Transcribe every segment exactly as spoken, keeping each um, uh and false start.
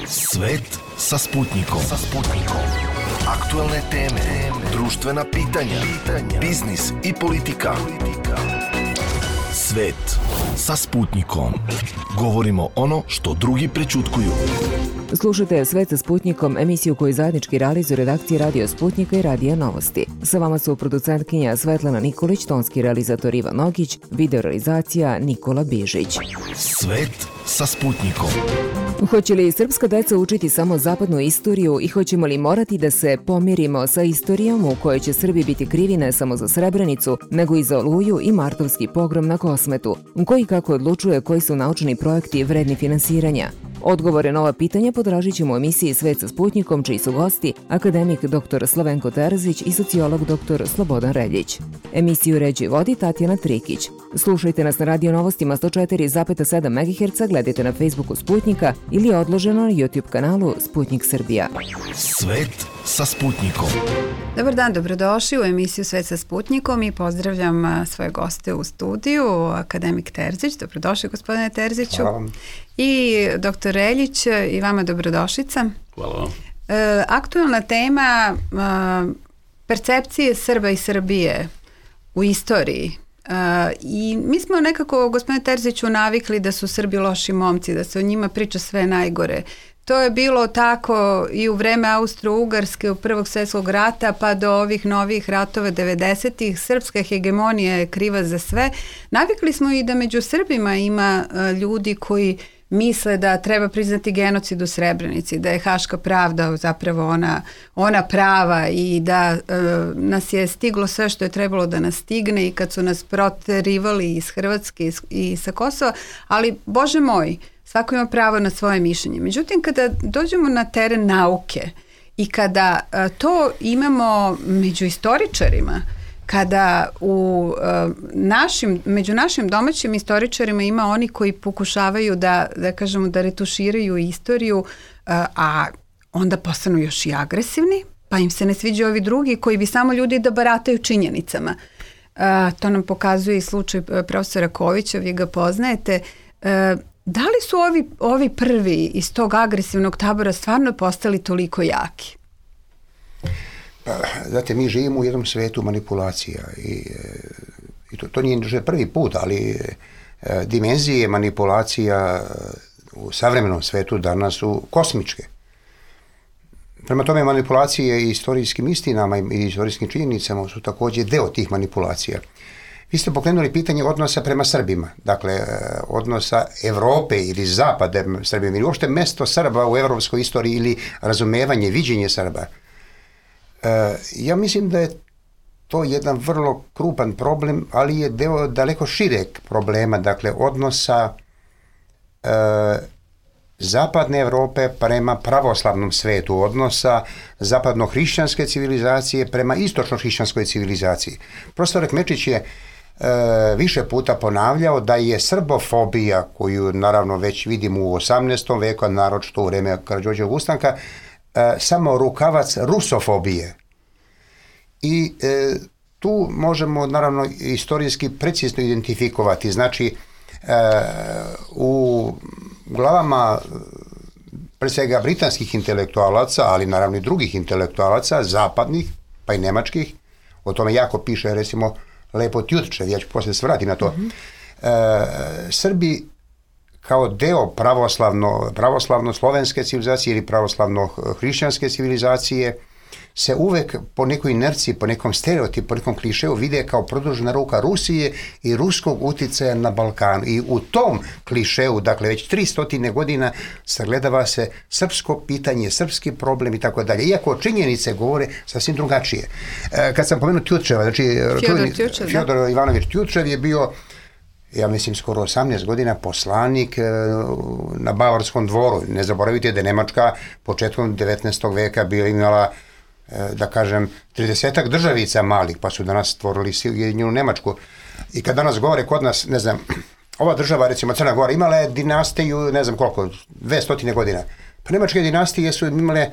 Svet sa Sputnikom. Sa Sputnikom. Aktuelne teme, društvena pitanja, pitanja, biznis i politika. Svet sa Sputnikom. Govorimo ono što drugi prećutkuju. Slušajte Svet sa Sputnikom, emisiju koju zajednički realizuju redakcije Radio Sputnika i Radija Novosti. Sa vama su producentkinja Svetlana Nikolić, tonski realizator Ivan Nogić, videorealizacija Nikola Bižić. Svet sa Sputnikom. Hoće li srpska deca učiti samo zapadnu istoriju i hoćemo li morati da se pomirimo sa istorijom u kojoj će Srbi biti krivi ne samo za Srebrenicu, nego i za Oluju i martovski pogrom na Kosmetu? Koji kako odlučuje koji su naučni projekti vredni finansiranja? Odgovore na ova pitanja potražit ćemo u emisiji Svet sa Sputnikom, čiji su gosti akademik doktor Slavenko Terzić i sociolog doktor Slobodan Reljić. Emisiju ređi vodi Tatjana Trikić. Slušajte nas na Radio Novostima sto četiri zarez sedam megaherca, gledajte na Facebooku Sputnika ili odloženo na YouTube kanalu Sputnik Srbija. Svet sa Sputnikom. Dobar dan, dobrodošli u emisiju Svet sa Sputnikom i pozdravljam svoje goste u studiju, akademik Terzić. Dobrodošli, gospodine Terziću. Hvala vam. I doktor Reljić, i vama dobrodošlica. Hvala vam. E, aktualna tema e, percepcije Srba i Srbije u istoriji. E, I mi smo nekako, gospodine Terziću, navikli da su Srbi loši momci, da se o njima priča sve najgore. To je bilo tako i u vreme Austro-Ugarske, u Prvog svjetskog rata, pa do ovih novih ratova devedesetih. Srpska hegemonija je kriva za sve. Navikli smo i da među Srbima ima ljudi koji misle da treba priznati genocid u Srebrenici, da je Haška pravda zapravo ona, ona prava i da e, nas je stiglo sve što je trebalo da nas stigne i kad su nas proterivali iz Hrvatske i sa Kosova, ali Bože moj, svako ima pravo na svoje mišljenje. Međutim, kada dođemo na teren nauke i kada a, to imamo među istoričarima, kada u a, našim, među našim domaćim istoričarima ima oni koji pokušavaju da, da kažemo, da retuširaju istoriju, a, a onda postanu još i agresivni, pa im se ne sviđaju ovi drugi koji bi samo ljudi da barataju činjenicama. A, to nam pokazuje i slučaj profesora Kovića, vi ga poznajete. A, Da li su ovi, ovi prvi iz tog agresivnog tabora stvarno postali toliko jaki? Pa, znate, mi živimo u jednom svetu manipulacija i, i to, to nije prvi put, ali e, dimenzije manipulacija u savremenom svetu danas su kosmičke. Prema tome, manipulacije i istorijskim istinama i istorijskim činjenicama su također deo tih manipulacija. Vi ste pokrenuli pitanje odnosa prema Srbima, dakle odnosa Evrope ili Zapada Srbima ili uopšte mesto Srba u evropskoj istoriji ili razumevanje, viđenje Srba. E, ja mislim da je to jedan vrlo krupan problem, ali je deo daleko šireg problema, dakle odnosa e, Zapadne Evrope prema pravoslavnom svetu, odnosa zapadno-hrišćanske civilizacije prema istočno-hrišćanskoj civilizaciji. Profesor Kmečić je E, više puta ponavljao da je srbofobija, koju naravno već vidimo u osamnaestom veku, a naročito u vreme Karađorđevog ustanka, e, samo rukavac rusofobije. I e, tu možemo naravno istorijski precizno identifikovati. Znači, e, u glavama pre svega britanskih intelektualaca, ali naravno i drugih intelektualaca, zapadnih, pa i nemačkih, o tome jako piše recimo lepo Tjutčev, ja ću poslije se vratiti na to. Mm-hmm. E, Srbi kao deo pravoslavno, pravoslavno-slovenske civilizacije ili pravoslavno-hrišćanske civilizacije se uvek po nekoj inerciji, po nekom stereotipu, po nekom klišeju vide kao produžena ruka Rusije i ruskog uticaja na Balkanu. I u tom klišeju, dakle već tristotine godina, sagledava se srpsko pitanje, srpski problem i tako dalje. Iako činjenice govore sasvim drugačije. E, kad sam pomenuo Tjutčeva, znači Fjodor, Tjutčev, Fjodor Ivanović Tjutčev je bio, ja mislim, skoro osamnaest godina poslanik na Bavarskom dvoru. Ne zaboravite da je Nemačka početkom devetnaestog veka bila imala, da kažem, tridesetak državica malih, pa su danas stvorili Ujedinjenu Nemačku. I kad danas govore kod nas, ne znam, ova država, recimo Crna Gora, imala je dinastiju, ne znam koliko, dvestotine godina. Pa nemačke dinastije su imale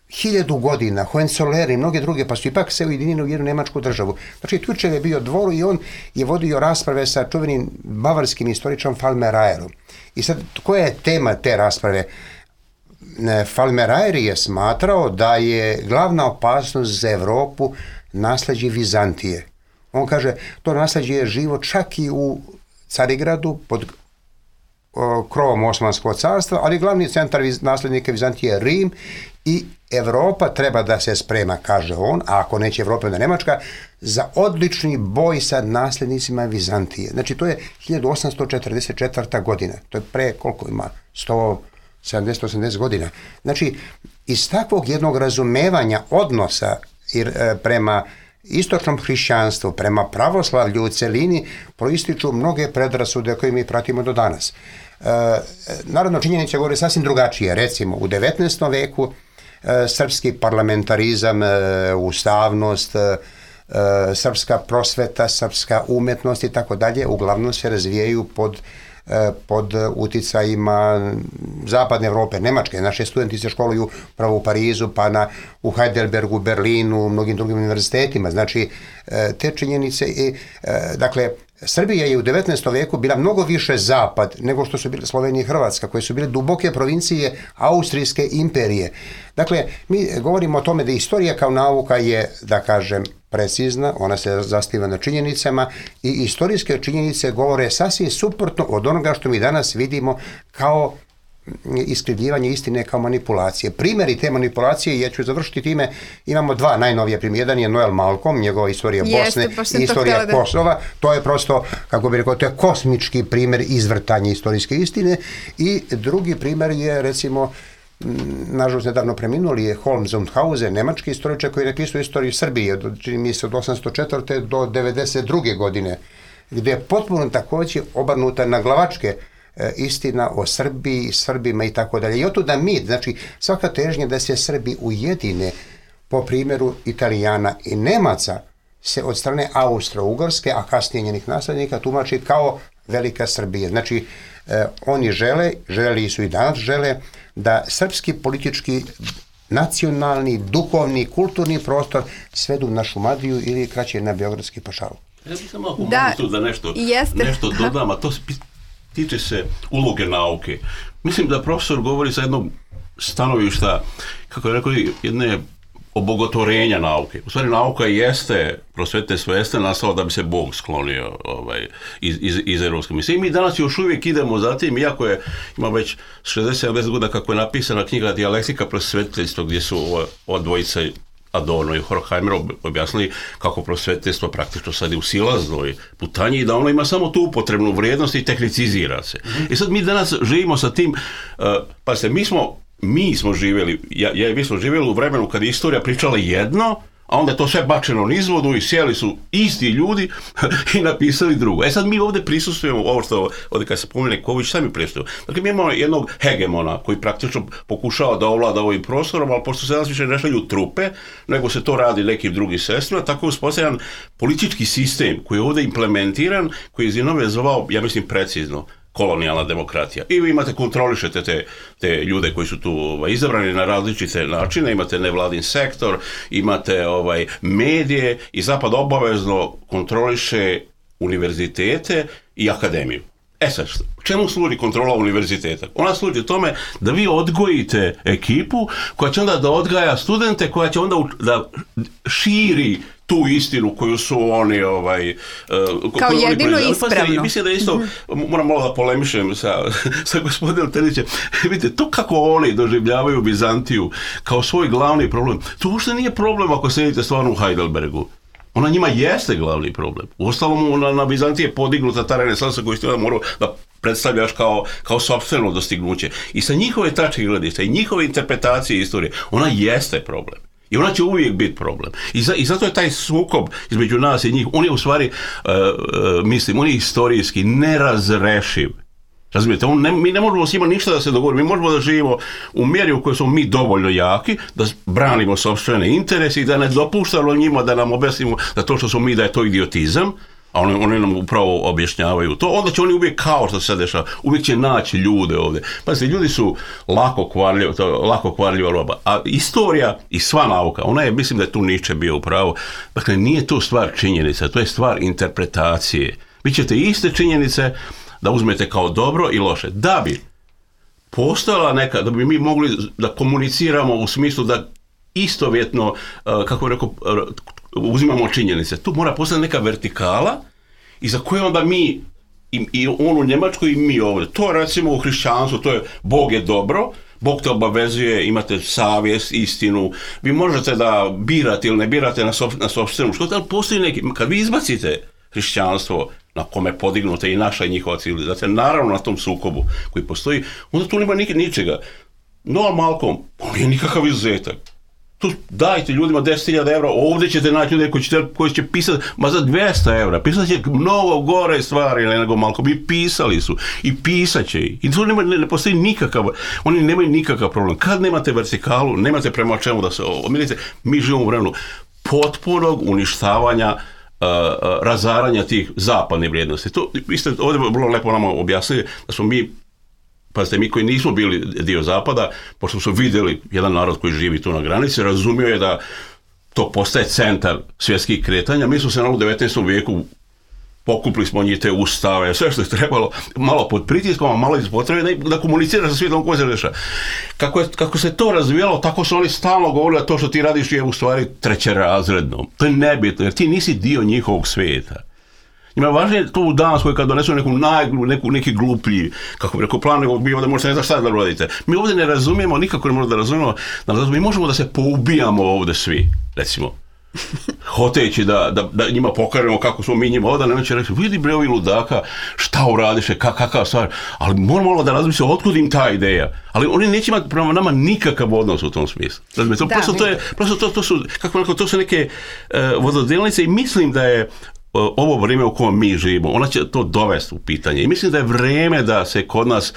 hiljadu godina, Hohenzollern i mnoge druge, pa su ipak se ujedinili u jednu nemačku državu. Znači, Tjutčev je bio dvoru i on je vodio rasprave sa čuvenim bavarskim istoričarom Falmerajerom. I sad, koja je tema te rasprave? Falmerajri je smatrao da je glavna opasnost za Evropu nasleđe Vizantije. On kaže, to nasleđe je živo čak i u Carigradu pod o, krovom Osmanskog carstva, ali glavni centar naslednika Vizantije je Rim i Evropa treba da se sprema, kaže on, a ako neće Evropa, onda Nemačka, za odlični boj sa nasljednicima Vizantije. Znači, to je hiljadu osamsto četrdeset četvrta godina. To je pre, koliko ima, sto sedamdeset osamdeset godina. Znači, iz takvog jednog razumevanja odnosa prema istočnom hrišćanstvu, prema pravoslavlju u celini, proističu mnoge predrasude koje mi pratimo do danas. E, Narodno činjenice govore sasvim drugačije. Recimo, u devetnaestom veku e, srpski parlamentarizam, e, ustavnost, e, srpska prosveta, srpska umetnost i tako dalje, uglavnom se razvijaju pod pod uticajima zapadne Evrope, Nemačke. Naše studenti se školuju pravo u Parizu, pa na, u Heidelbergu, Berlinu, u mnogim drugim univerzitetima. Znači, te činjenice, i, dakle, Srbija je u devetnaestom veku bila mnogo više zapad nego što su bile Slovenija i Hrvatska, koje su bile duboke provincije Austrijske imperije. Dakle, mi govorimo o tome da istorija kao nauka je, da kažem, precizna, ona se zasniva na činjenicama i istorijske činjenice govore sasvim suprotno od onoga što mi danas vidimo kao iskrivljivanje istine, kao manipulacije. Primjeri te manipulacije, ja ću završiti time, imamo dva najnovije primjera. Jedan je Noel Malcolm, njegova istorija Bosne i istorija to Kosova. To je prosto, kako bi rekao, to je kosmički primjer izvrtanja istorijske istine. I drugi primjer je, recimo, nažalost nedavno preminuli je Holmes Zundhausen, nemački istoričar koji je napisao istoriju Srbije, čini mi se od osamsto četvrte do devedeset druge godine, gdje je potpuno također obrnuta na glavačke e, istina o Srbiji, Srbima i tako dalje. I otuda mi, znači svaka težnja da se Srbi ujedine po primjeru Italijana i Nemaca se od strane Austro-Ugarske, a kasnije njenih naslednika tumači kao velika Srbija. Znači, e, oni žele, želeli su i danas žele, da srpski politički, nacionalni, duhovni, kulturni prostor svedu na Šumadiju ili kraće na Beogradski pašaluk. Ja bih samo ako da, mogu da nešto, nešto dodam, a to tiče se uloge nauke. Mislim da profesor govori sa jednog stanovišta, kako je rekao, jedne obogotvorenja nauke. U stvari, nauka jeste, prosvetiteljstvo jeste nastalo da bi se Bog sklonio ovaj, iz, iz, iz Evropske misije. I mi danas još uvijek idemo za tim, iako je, ima već šezdeset sedamdeset godina kako je napisana knjiga Dijalektika prosvetiteljstva, gdje su ova, ova dvojica Adorno i Horkheimer objasnili kako prosvetiteljstvo praktično sad je u silaznoj putanji i da ono ima samo tu upotrebnu vrijednost i tehnicizira se. Mm-hmm. I sad mi danas živimo sa tim, uh, pa se mi smo Mi smo živjeli, ja, ja mi smo živjeli u vremenu kad je istorija pričala jedno, a onda je to sve bačeno nizvodu i sjeli su isti ljudi i napisali drugo. E sad mi ovdje prisustujemo, ovo što ovdje kad se pomene Ković, sami prisustujemo. Dakle, mi imamo jednog hegemona koji praktično pokušava da ovlada ovim prostorom, ali pošto se danas više ne šalju trupe, nego se to radi nekim drugim sredstvima, tako je uspostavljan politički sistem koji je ovdje implementiran, koji je Zinove zvao, ja mislim, precizno, kolonijalna demokratija. I vi imate, kontrolišete te, te ljude koji su tu ovaj, izabrani na različite načine, imate nevladin sektor, imate ovaj, medije i Zapad obavezno kontroliše univerzitete i akademiju. E sad, čemu služi kontrola univerziteta? Ona služi tome da vi odgojite ekipu koja će onda da odgaja studente, koja će onda da širi tu istinu koju su oni ovaj uh, kao jedino oni ispravno. Pa, mislim da isto, mm-hmm. moram malo da polemišem sa, sa gospodinom Terzićem. Vidite, to kako oni doživljavaju Bizantiju kao svoj glavni problem, to uopšte nije problem ako sedite stvarno u Heidelbergu. Ona njima jeste glavni problem. Uostalom, na, na Bizantiji je podignuta ta renesansa koju ste onda morao da predstavljaš kao, kao sopstveno dostignuće. I sa njihove tačke gledišta i njihove interpretacije istorije, ona jeste problem. I ona će uvijek biti problem. I, za, i zato je taj sukob između nas i njih, on je u stvari, uh, uh, mislim, on je istorijski nerazrešiv. Razumijete, on ne, mi ne možemo s njima ništa da se dogovorimo, mi možemo da živimo u mjeri u kojoj smo mi dovoljno jaki, da branimo sopstvene interese i da ne dopuštamo njima da nam objasnimo da to što smo mi, da je to idiotizam, a oni, oni nam upravo objašnjavaju to, onda će oni uvijek, kao što se sad dešava, uvijek će naći ljude ovdje. Pazite, ljudi su lako kvarljiva, lako kvarljiva roba, a istorija i sva nauka, ona je, mislim da je tu Nietzsche bio upravo, dakle, nije to stvar činjenica, to je stvar interpretacije. Vi ćete iste činjenice da uzmete kao dobro i loše. Da bi postojala neka, da bi mi mogli da komuniciramo u smislu da istovjetno, kako bih rekao, uzimamo činjenice. Tu mora postojati neka vertikala i za koje onda mi, i, i on u Njemačkoj i mi ovdje. To recimo u hrišćanstvu, to je Bog je dobro, Bog te obavezuje, imate savjest, istinu, vi možete da birate ili ne birate na, sob, na sopstvenu škotu, ali postoji neki, kad vi izbacite hrišćanstvo na kome podignuta i naša i njihova civilizacija, naravno na tom sukobu koji postoji, onda tu nema nikad ničega. Noam Malcolm, on nije nikakav izuzetak. Tu dajte ljudima deset hiljada evra, ovdje ćete naći ljude koji će, koji će pisati, ma za dvjesto evra, pisat će mnogo gore stvari nego Malcolm, i pisali su, i pisat će i. I tu nema, ne, ne postoji nikakav, oni nemaju nikakav problem. Kad nemate vertikalu, nemate prema čemu da se omirite, mi živimo u vremenu potpunog uništavanja, Uh, uh, razaranja tih zapadnih vrijednosti. To, vi ste ovdje vrlo lepo nama objasnili da smo mi, pazite, mi koji nismo bili dio zapada, pošto smo vidjeli jedan narod koji živi tu na granici, razumio je da to postaje centar svjetskih kretanja. Mi smo se na u devetnaestom vijeku pokupili smo njih te ustave, sve što je trebalo, malo pod pritiskom, a malo iz potrebe da, da komunicira sa svijetom koji se dešava. Kako, kako se to razvijalo, tako su oni stalno govorili da to što ti radiš je u stvari trećerazredno. To je nebitno, jer ti nisi dio njihovog svijeta. Njima je važnije to u Danskoj kad donesu neku najglu, neku, neki gluplji, kako bi rekao, plan, nego vi ovdje možete ne znaš šta da radite. Mi ovdje ne razumijemo, nikako ne možemo da razumijemo, da mi možemo da se poubijamo ovdje svi, recimo. Hoteći da, da, da njima pokažemo kako smo mi njima ovdje, ne će reći, vidi bre ovi ludaka, šta uradiše, kak, kakav stvar, ali moramo da razmislimo otkud im ta ideja, ali oni neće imati prema nama nikakav odnos u tom smislu. Znači, to, da, prosto, to, je, prosto to, to su, kako rekao, to su neke uh, vododelnice i mislim da je uh, ovo vrijeme u kojem mi živimo, ona će to dovesti u pitanje i mislim da je vrijeme da se kod nas,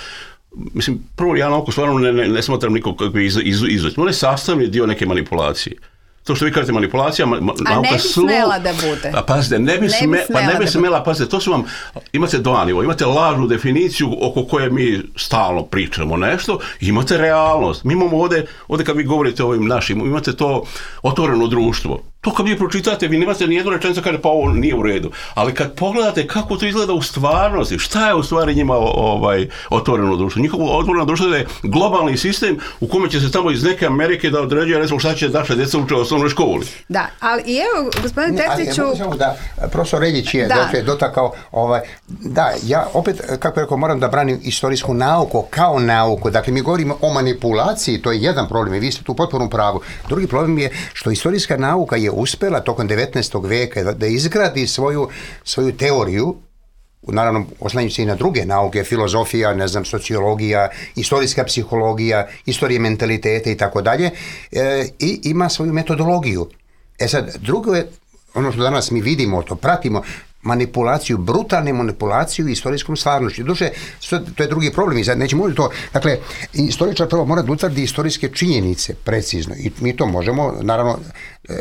mislim, prvo ja na oko stvarno ne, ne, ne smatram nikog kakvi iz, iz, izveć, on je sastavni dio neke manipulacije. To što vi kažete manipulacija, ma, ma, a ne bi slo... smela da bude. A pazite, ne bi, ne sme... bi smela, pa ne bi smela, pazite, to su vam, imate dva nivo, imate lažnu definiciju oko koje mi stalno pričamo nešto, imate realnost. Mi imamo ovdje, ovdje kad vi govorite o ovim našim, imate to otvoreno društvo. To kad vi pročitate, vi nemate ni jednu rečenicu kaže pa ovo nije u redu. Ali kad pogledate kako to izgleda u stvarnosti, šta je u stvari njima ovaj, otvoreno društvo? Njihovo otvoreno društvo je globalni sistem u kome će se tamo iz neke Amerike da određuje recimo šta će naša djeca uče u osnovnoj školi. Da, ali i evo, gospodine Terziću... Ja da, profesor Reljić je da. dotakao, ovaj, da, ja opet, kako rekao, moram da branim istorijsku nauku kao nauku. Dakle, mi govorimo o manipulaciji, to je jedan problem i vi ste tu potpuno u pravu. Drugi problem je što istorijska nauka je uspjela tokom devetnaestog vijeka da, da izgradi svoju, svoju teoriju, naravno oslanjujući se i na druge nauke, filozofija, ne znam, sociologija, istorijska psihologija, istorija mentaliteta i tako dalje, i ima svoju metodologiju. E sad, drugo je, ono što danas mi vidimo, to pratimo, manipulaciju, brutalnu manipulaciju istorijskom stvarnošću. Duše, to je drugi problem i sad nećemo to. Dakle, istoričar prvo mora da utvrdi istorijske činjenice precizno i mi to možemo, naravno, e,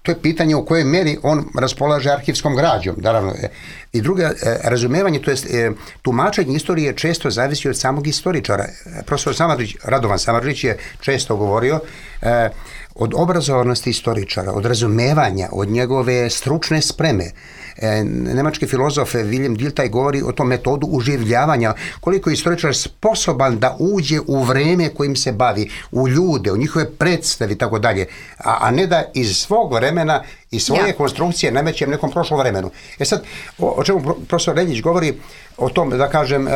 to je pitanje u kojoj meri on raspolaže arhivskom građom, naravno. E, I drugo, e, razumevanje, to jest e, tumačenje istorije često zavisi od samog istoričara. Profesor Samardžić, Radovan Samardžić je često govorio e, od obrazovanosti istoričara, od razumevanja, od njegove stručne spreme. E, nemački filozof Wilhelm Dilthey govori o tom metodu uživljavanja, koliko je istoričar sposoban da uđe u vreme kojim se bavi, u ljude, u njihove predstave i tako dalje, a, a ne da iz svog vremena i svoje ja. konstrukcije namećem nekom prošlom vremenu. E sad, o, o čemu profesor Reljić govori o tom, da kažem, e,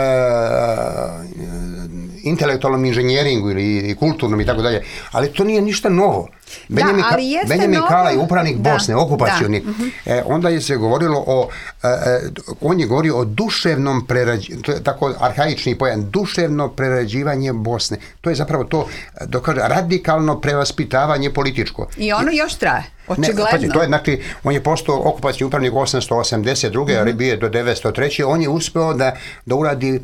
intelektualnom inženjeringu ili i kulturnom i tako dalje, ali to nije ništa novo. Benjamin, da, Benjamin Kalaj, upravnik da, Bosne, okupacioni, da. Uh-huh. e, onda je se govorilo o, e, on je govorio o duševnom prerađivanju, tako arhaični pojam, duševno prerađivanje Bosne. To je zapravo to, dokaže, radikalno prevaspitavanje političko. I ono još traje. Očigledno. Ne, pa, to je, znači, on je postao okupacijski upravnik osamsto osamdeset druge. Mm-hmm. bio je do devetsto treće. On je uspeo da, da uradi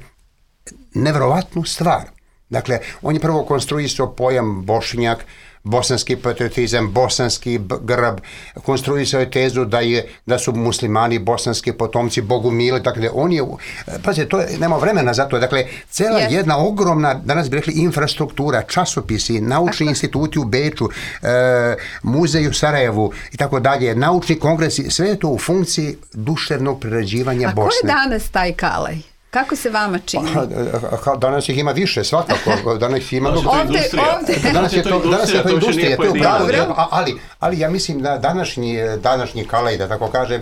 nevjerovatnu stvar. Dakle, on je prvo konstruisao pojam Bošnjak, bosanski patriotizam, bosanski grb, konstruisao je tezu da je da su muslimani bosanski potomci bogumili, dakle on je, pazite, to je, nema vremena za to, dakle cela yes. jedna ogromna, danas bi rekli, infrastruktura, časopisi, naučni Ako... instituti u Beču, e, muzej u Sarajevu i tako dalje, naučni kongresi, sve je to u funkciji duševnog prerađivanja A Bosne. A ko je danas taj Kalaj? Kako se vama čini? Pa, danas ih ima više, svakako. Danas ima mnogo. Ovde, ovde. Danas je to, danas je to industrija, to je pravo. Ali, ali ja mislim da današnji, današnji Kalaj, da tako kažem,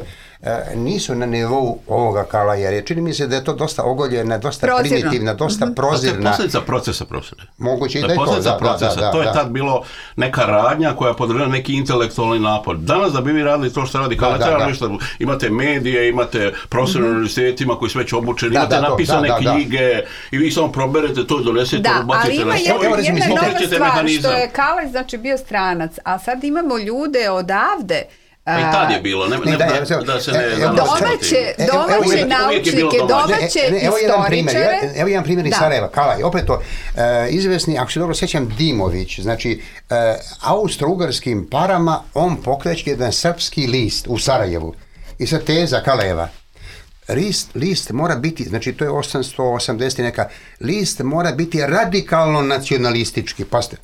nisu na nivou ovoga Kalaja, jer čini mi se da je to dosta ogoljena, dosta prozirno. Primitivna, dosta mm-hmm. prozirna. To je posljedica procesa, profesore. Moguće i da je to. Da, procesa. Da, da, to je da. Tad bilo neka radnja koja podržava neki intelektualni napor. Danas da bi vi radili to što radi Kalaj, da, da, da. Imate medije, imate profesore mm-hmm. univerzitetima koji su već obučeni, da, imate da, napisane da, da, knjige da. I vi samo proberete to, donesete, da, ubacite na stoj. Da, ali ima jedna, jedna nova stvar, što je Kalaj znači bio stranac, a sad imamo ljude odavde. Pa i tad je bilo, ne, ne, da, da, da se ne... Domaće, domaće naučnike, domaće istoričare... Evo jedan primjer iz Sarajeva, Kalaj, opet to, izvesni, ako se dobro sjećam, Dimović, znači, austro-ugarskim parama on pokreće jedan srpski list u Sarajevu. I sad teza Kalajeva, list, list mora biti, znači to je osamsto osamdeset neka, list mora biti radikalno nacionalistički, pazite,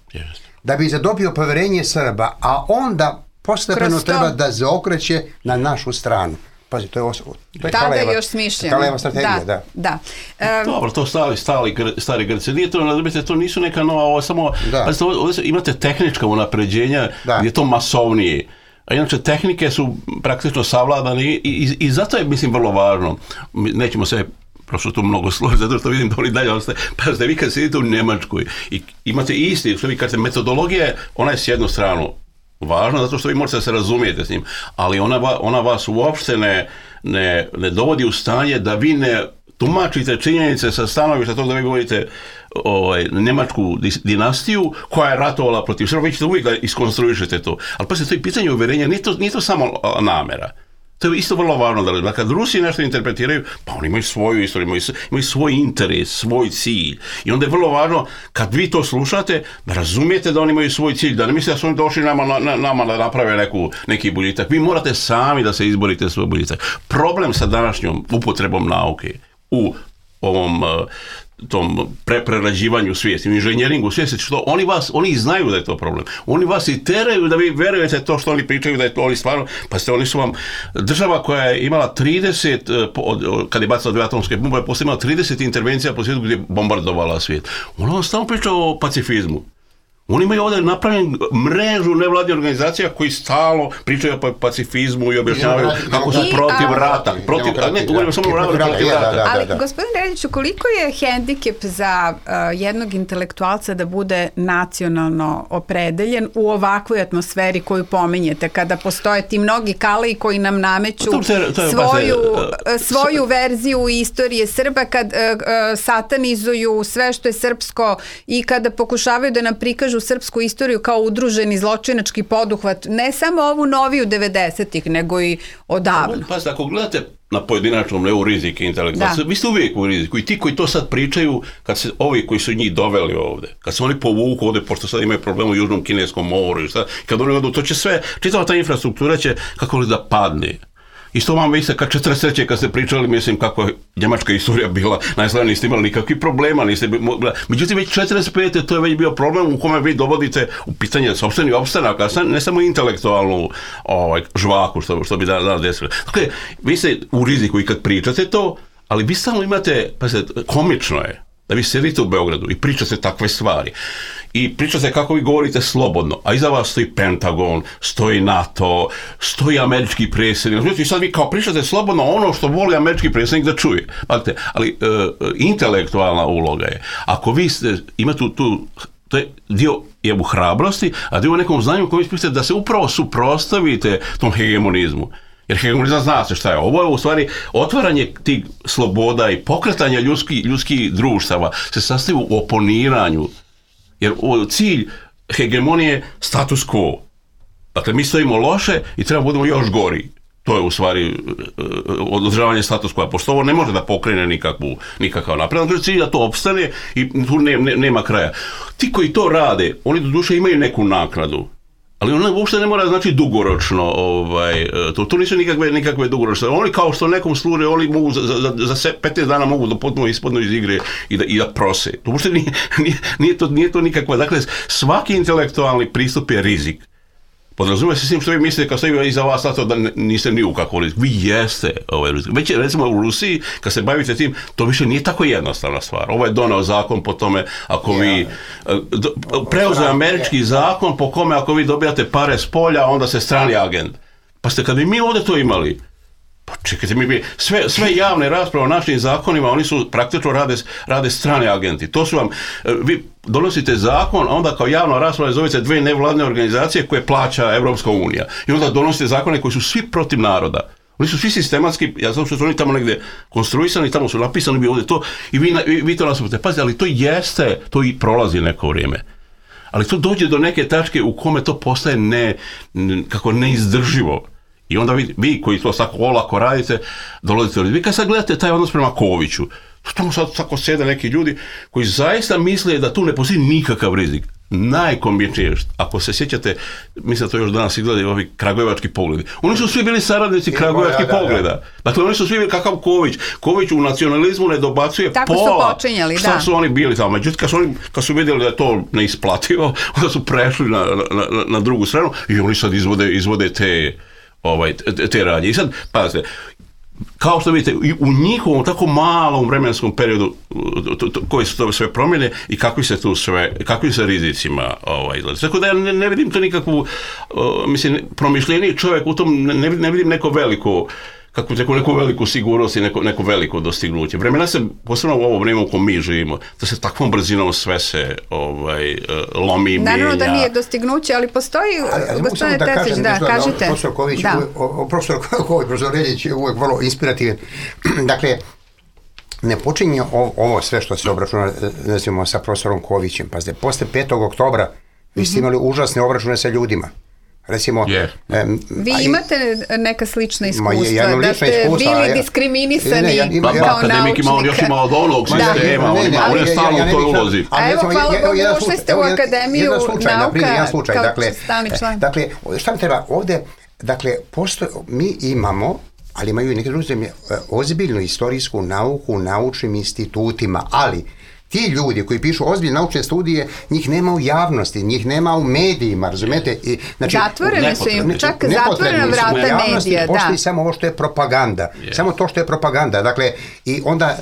da bi zadobio poverenje Srba, a onda postepeno treba da zaokreće na našu stranu. Pazi, to je, os- to je Kalajeva, još smišljeno. Kalajeva strategija, da. da. da. Um, Dobro, to stali, stali stari Grci. Nije to, to nisu neka nova, ovo samo, pazite, ovdje imate tehnička unapređenja da. Gdje je to masovnije. A inače, tehnike su praktično savladane i, i, i zato je, mislim, vrlo važno. Nećemo se prosto tu mnogo složiti, zato što vidim da oni dalje ostaje. Pazite, vi kad sedite u Njemačkoj i imate isti, što vi kažete, metodologija, ona je s jednu stranu važno, zato što vi možete se razumijete s njim, ali ona, ona vas uopšte ne, ne, ne dovodi u stanje da vi ne tumačite činjenice sa stanovišta toga da vi govorite ovaj, njemačku dinastiju koja je ratovala protiv Srba, vi ćete uvijek da iskonstruišete to. Ali pa se to je pitanje uverenja, nije to, nije to samo namera. To je isto vrlo važno da, da kad Rusi nešto interpretiraju, pa oni imaju svoju istoriju, imaju, imaju svoj interes, svoj cilj. I onda je vrlo važno, kad vi to slušate, da razumijete da oni imaju svoj cilj, da ne mislite da su oni došli nama, na, nama da naprave neku, neki boljitak. Vi morate sami da se izborite svoj boljitak. Problem sa današnjom upotrebom nauke u ovom tom preprerađivanju svijesti, u inženjeringu svijesti, što oni vas, oni znaju da je to problem. Oni vas i teraju da vi verujete to što oni pričaju, da je to oni stvarno, pa ste, oni su vam država koja je imala trideset, kad je bacila dvije atomske bombe, je posle imala trideset intervencija po svijetu gdje je bombardovala svijet. Ona vam stalno priča o pacifizmu. Oni imaju ovdje napravljen mrežu nevladnih organizacija koji stalno pričaju o pacifizmu i objašnjavaju kako su protiv rata. Protiv, a ne, govorimo samo o ratu protiv rata. Ali, gospodin Reljiću, koliko je hendikep za uh, jednog intelektualca da bude nacionalno opredeljen u ovakvoj atmosferi koju pominjete, kada postoje ti mnogi Kalaji koji nam nameću to, to je, to je, svoju, uh, svoju verziju istorije Srba, kad uh, uh, satanizuju sve što je srpsko i kada pokušavaju da nam prikažu srpsku istoriju kao udruženi zločinački poduhvat, ne samo ovu noviju devedesetih, nego i odavno. Pazite, ako gledate na pojedinačnom nivou rizik i intelektualca, vi ste uvijek u riziku i ti koji to sad pričaju, kad se ovi koji su njih doveli ovde, kad se oni povuku ovde, pošto sad imaju problem u Južnom Kineskom moru i šta, kad oni odu, to će sve, čitava ta infrastruktura će, kako li da padne. Isto vam vi ste kad četrdeset treće kad ste pričali, mislim, kako je njemačka istorija bila, najslavnije niste imali nikakvih problema, niste, međutim već četrdeset pete to je već bio problem u kome vi dovodite u pitanje sopstveni opstanak, a ne samo intelektualnu ovaj, žvaku što, što bi da, da desilo. Dakle, vi ste u riziku i kad pričate to, ali vi stalno imate, pa se, komično je da vi sedite u Beogradu i pričate takve stvari. I pričate kako vi govorite slobodno, a iza vas stoji Pentagon, stoji NATO, stoji američki predsjednik. I sad vi kao pričate slobodno ono što voli američki predsjednik da čuje. Znate, ali e, intelektualna uloga je, ako vi ste, imate tu, tu, to je dio je u hrabrosti, a dio u nekom znanju koji vi da se upravo suprotstavite tom hegemonizmu. Jer hegemonizam zna se šta je. Ovo je u stvari otvaranje tih sloboda i pokretanje ljudskih ljudski društava se sastoji u oponiranju. Jer cilj hegemonije je status quo. Dakle, mi stojimo loše i treba budemo još gori. To je u stvari održavanje status quo. Pošto ovo ne može da pokrene nikakvu, nikakav napred. Dakle, cilj da to opstane i tu ne, ne, nema kraja. Ti koji to rade, oni do duše imaju neku naknadu. Ali ono uopšte ne mora znači dugoročno, ovaj, to, to nisu nikakve, nikakve dugoročne. Oni kao što nekom služe, oni mogu za, za, za petnaest dana mogu da potpuno ispadnu iz igre i da, i da prose. To uopšte nije, nije, nije, to, nije to nikakva. Dakle, svaki intelektualni pristup je rizik. Podrazumije se s tim što vi mislite kad stoji iza vas na to da niste ni u kakvom riziku. Vi jeste ovaj rizik. Već recimo u Rusiji, kad se bavite tim, to više nije tako jednostavna stvar. Ovo je donao zakon po tome, ako vi preuzeo američki zakon po kome ako vi dobijate pare s polja, onda ste strani agent. Pa ste kad bi mi ovdje to imali, pa čekajte, mi bi sve, sve javne rasprave o našim zakonima, oni su praktično rade, rade strane agenti. To su vam, vi donosite zakon, a onda kao javna rasprava zovete dve nevladne organizacije koje plaća Evropska unija. I onda donosite zakone koji su svi protiv naroda. Oni su svi sistematski, ja znam što su oni tamo negdje konstruisani, tamo su napisani bi ovdje to i vi, vi, vi to nasupite. Pazite, ali to jeste, to i prolazi neko vrijeme. Ali to dođe do neke tačke u kome to postaje ne, kako neizdrživo. I onda vi, vi koji to tako olako radite, dolazite do... Vi kad sad gledate taj odnos prema Koviću, tamo sad tako sjede neki ljudi koji zaista misle da tu ne postoji nikakav rizik. Najkomičnije, ako se sjećate, mislim da to još danas izgledaju ovi kragujevački pogledi. Oni su svi bili saradnici kragujevačkih pogleda. Dakle, oni su svi bili kakav Ković. Ković u nacionalizmu ne dobacuje tako pola. Tako su počinjali, šta da. su oni bili tamo. Međutim, kad su, oni, kad su vidjeli da je to neisplativo, onda su prešli na, na, na, na drugu stranu i oni sad izvode, izvode te... Ovaj, te radnje. I sad, pazite, kao što vidite, u njihovom tako malom vremenskom periodu to, to, koji su to sve promjene i kakvi se tu sve, kakvi se rizicima ovaj, izgleda. Tako da ja ne, ne vidim to nikakvu, uh, mislim, promišljeniji čovjek u tom, ne, ne vidim neko veliko, kako neko, neku veliku sigurnost i neko, neko veliko dostignuće. Vremena se, posebno u ovo vrijeme u kojem mi živimo, da se takvom brzinom sve se ovaj, lomi i mijenja. Naravno da nije dostignuće, ali postoji, gospodine Terzić, da, da, kažete. Profesor Ković, da. Uvijek, profesor Ković, profesor Reljić je uvijek vrlo inspirativan. Dakle, ne počinje ovo sve što se obračuna, nazivamo, sa profesorom Kovićem. Pazite, posle petog oktobra vi ste imali užasne obračune sa ljudima. Recimo, yeah. um, vi imate neka slična iskustva, ja da ste iskustva, bili ja, diskriminisani ne, ja, ima, kao ja, akademik ima on još ima od onog sistema, on ima, on je stalno u toj ulozi. A evo, hvala Bogu, ušli ste u Akademiju nauka kao stalni član. Dakle, šta mi treba ovdje, dakle, postoje, mi imamo, ali imaju i neke druge zemlje, ozbiljnu istorijsku nauku u naučnim institutima, ali ti ljudi koji pišu ozbiljne naučne studije, njih nema u javnosti, njih nema u medijima, razumete? I, znači, zatvorene su im, čak zatvorena vrata medija, da. Postoji samo ovo što je propaganda, yeah. samo to što je propaganda. Dakle, i onda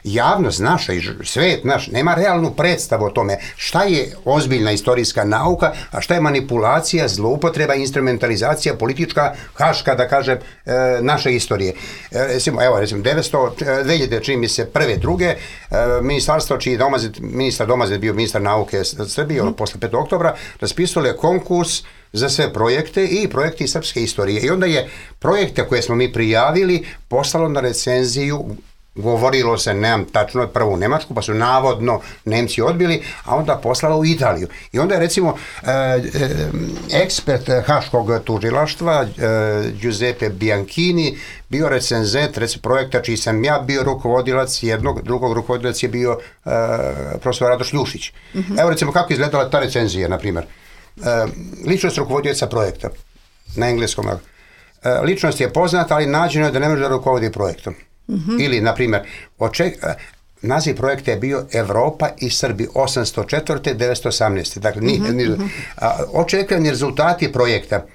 javnost naša i svet naš nema realnu predstavu o tome šta je ozbiljna istorijska nauka, a šta je manipulacija, zloupotreba, instrumentalizacija, politička, haška, da kažem, naše istorije. Recimo, evo, recimo, devetsto, dve hiljade, čini mi se, prve, druge, ministarstvo čiji Domazet, ministar Domazet bio ministar nauke Srbije, mm. posle petog oktobra, raspisali konkurs za sve projekte i projekti srpske istorije. I onda je projekte koje smo mi prijavili poslalo na recenziju, govorilo se, nemam tačno, prvo u Nemačku, pa su navodno Nemci odbili, a onda poslalo u Italiju. I onda je recimo eh, ekspert haškog tužilaštva eh, Giuseppe Bianchini bio recenzent recimo projekta čiji sam ja bio rukovodilac, jednog, drugog rukovodilac je bio eh, profesor Radoš Ljušić. Mm-hmm. Evo recimo kako izgledala ta recenzija, na primjer. Eh, ličnost rukovodioca projekta na engleskom. Eh, ličnost je poznata, ali nađeno je da ne može da rukovodi projektom. Mm-hmm. Ili, na primjer, oček, naziv projekta je bio Evropa i Srbi osamsto četvrte do devetsto osamnaeste. Dakle, mm-hmm. ni, očekivani rezultati projekta.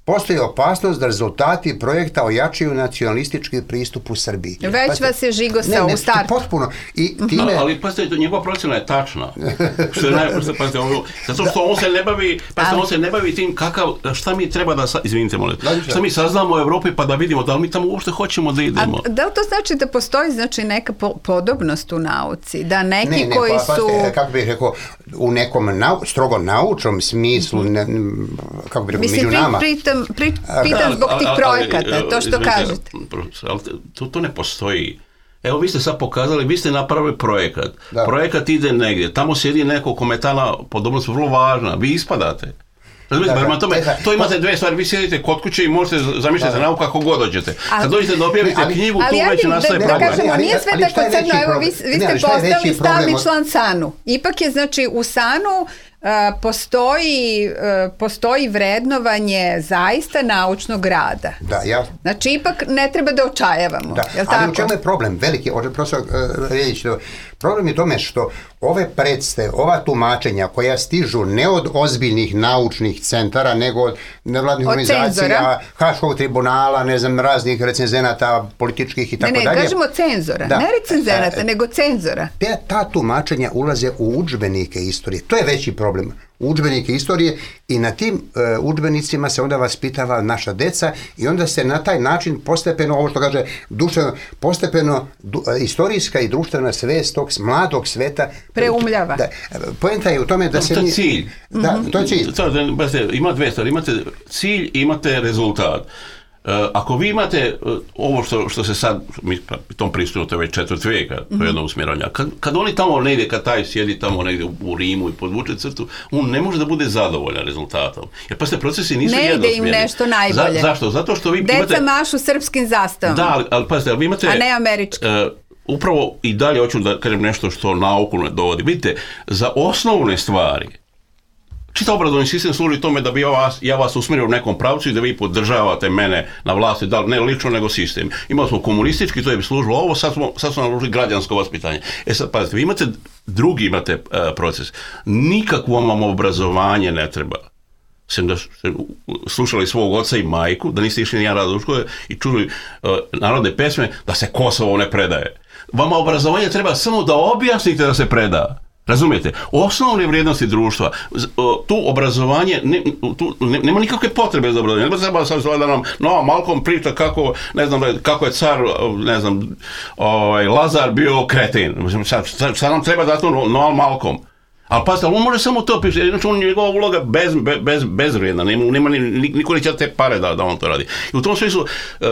Postoji opasnost da rezultati projekta ojačaju nacionalistički pristup u Srbiji. Već pazite, vas je žigosao u startu. Potpuno. I time... Ali, ali pazite, njegova procjena je tačna. Što je najprve, pazite, ovo, zato što on se ne bavi, pazite, on se ne bavi tim kakav, šta mi treba da, izvinite molim, šta mi saznamo u Evropi pa da vidimo da li mi tamo uopšte hoćemo da idemo. A da li to znači da postoji znači neka po, podobnost u nauci? Da neki ne, ne, koji pa, su... Pazite, kako bih rekao, u nekom nau, strogo naučnom smislu, ne, kako bih rekao, mislim, među nama... Pitam, pri, pitam zbog tih projekata, ali, to što izvinite, kažete. Ali to, to ne postoji. Evo, vi ste sad pokazali, vi ste napravili projekat. Da. Projekat ide negdje. Tamo sjedi neko kome je ta podobnost vrlo važna. Vi ispadate. Razumijete, prema tome, to imate dve stvari. Vi sjedite kod kuće i možete zamišljati nauku kako god dođete. Kad dođete da objavite ali, knjigu, ali, tu već nastaje da, problem. Da kažemo, nije sve tako crno. Evo, vi, vi ste postali stalni član SANU. Ipak je, znači, u SANU postoji, postoji vrednovanje zaista naučnog rada. Da, ja... Znači, ipak ne treba da očajavamo. Da, ali tako? U čemu je problem? Veliki, profesor uh, Reljić, problem je tome što ove predstave, ova tumačenja koja stižu ne od ozbiljnih naučnih centara, nego od nevladnih organizacija, Haškog tribunala, ne znam, raznih recenzenata, političkih i tako dalje. Ne, ne, kažemo cenzora, da. Ne recenzenata, e, nego cenzora. Te, ta tumačenja ulaze u udžbenike istorije. To je veći problem. Udžbenike istorije i na tim uh, udžbenicima se onda vaspitava naša deca i onda se na taj način postepeno, ovo što kaže duševno, postepeno du, uh, istorijska i društvena svest tog mladog sveta preumljava. Da, poenta je u tome da to, se... To je cilj. Da, to je cilj. To, da, ima dve stvari. Imate cilj i imate rezultat. Uh, ako vi imate uh, ovo što, što se sad, mi tom pristupu, to je već četvrt vijeka, to je jedno usmjerovanje, kad, kad oni tamo negdje, kad taj sjedi tamo negdje u, u Rimu i podvuče crtu, on ne može da bude zadovoljan rezultatom. Jer pa se procesi nisu jednosmjerni. Ne ide im nešto najbolje. Za, zašto? Zato što vi Deca imate... Deca mašu srpskim zastavom. Da, ali, ali pazite, ali vi imate... A ne američki. Uh, upravo i dalje hoću da kažem nešto što nauku ne dovodi. Vidite, za osnovne stvari čitav obrazovni sistem služi tome da bi ja vas, ja vas usmjerio u nekom pravcu i da vi podržavate mene na vlasti, da ne lično nego sistem. Imali smo komunistički, to je bi služilo ovo, sad smo, sad smo naložili građansko vaspitanje. E sad, pazite, vi imate, drugi imate uh, proces. Nikakvo vam obrazovanje ne treba. Sem da ste slušali svog oca i majku, da niste išli nijedan rad u škole i čuli uh, narodne pesme, da se Kosovo ne predaje. Vama obrazovanje treba samo da objasnite da se preda. Razumijete? Osnovne vrijednosti društva, tu obrazovanje, ne, tu ne, nema nikakve potrebe za obrazovanje. Ne treba sad da nam no, Malcolm priča kako, ne znam, kako je car, ne znam, ovaj, Lazar bio kreten. Sad, sad, sad nam treba da to no, Malcolm. Ali pazite, on može samo to pisati, znači on njegova uloga bez, bez, bezvrijedna, nema, nema ni, niko neće te pare da, da on to radi. I u tom smislu, uh,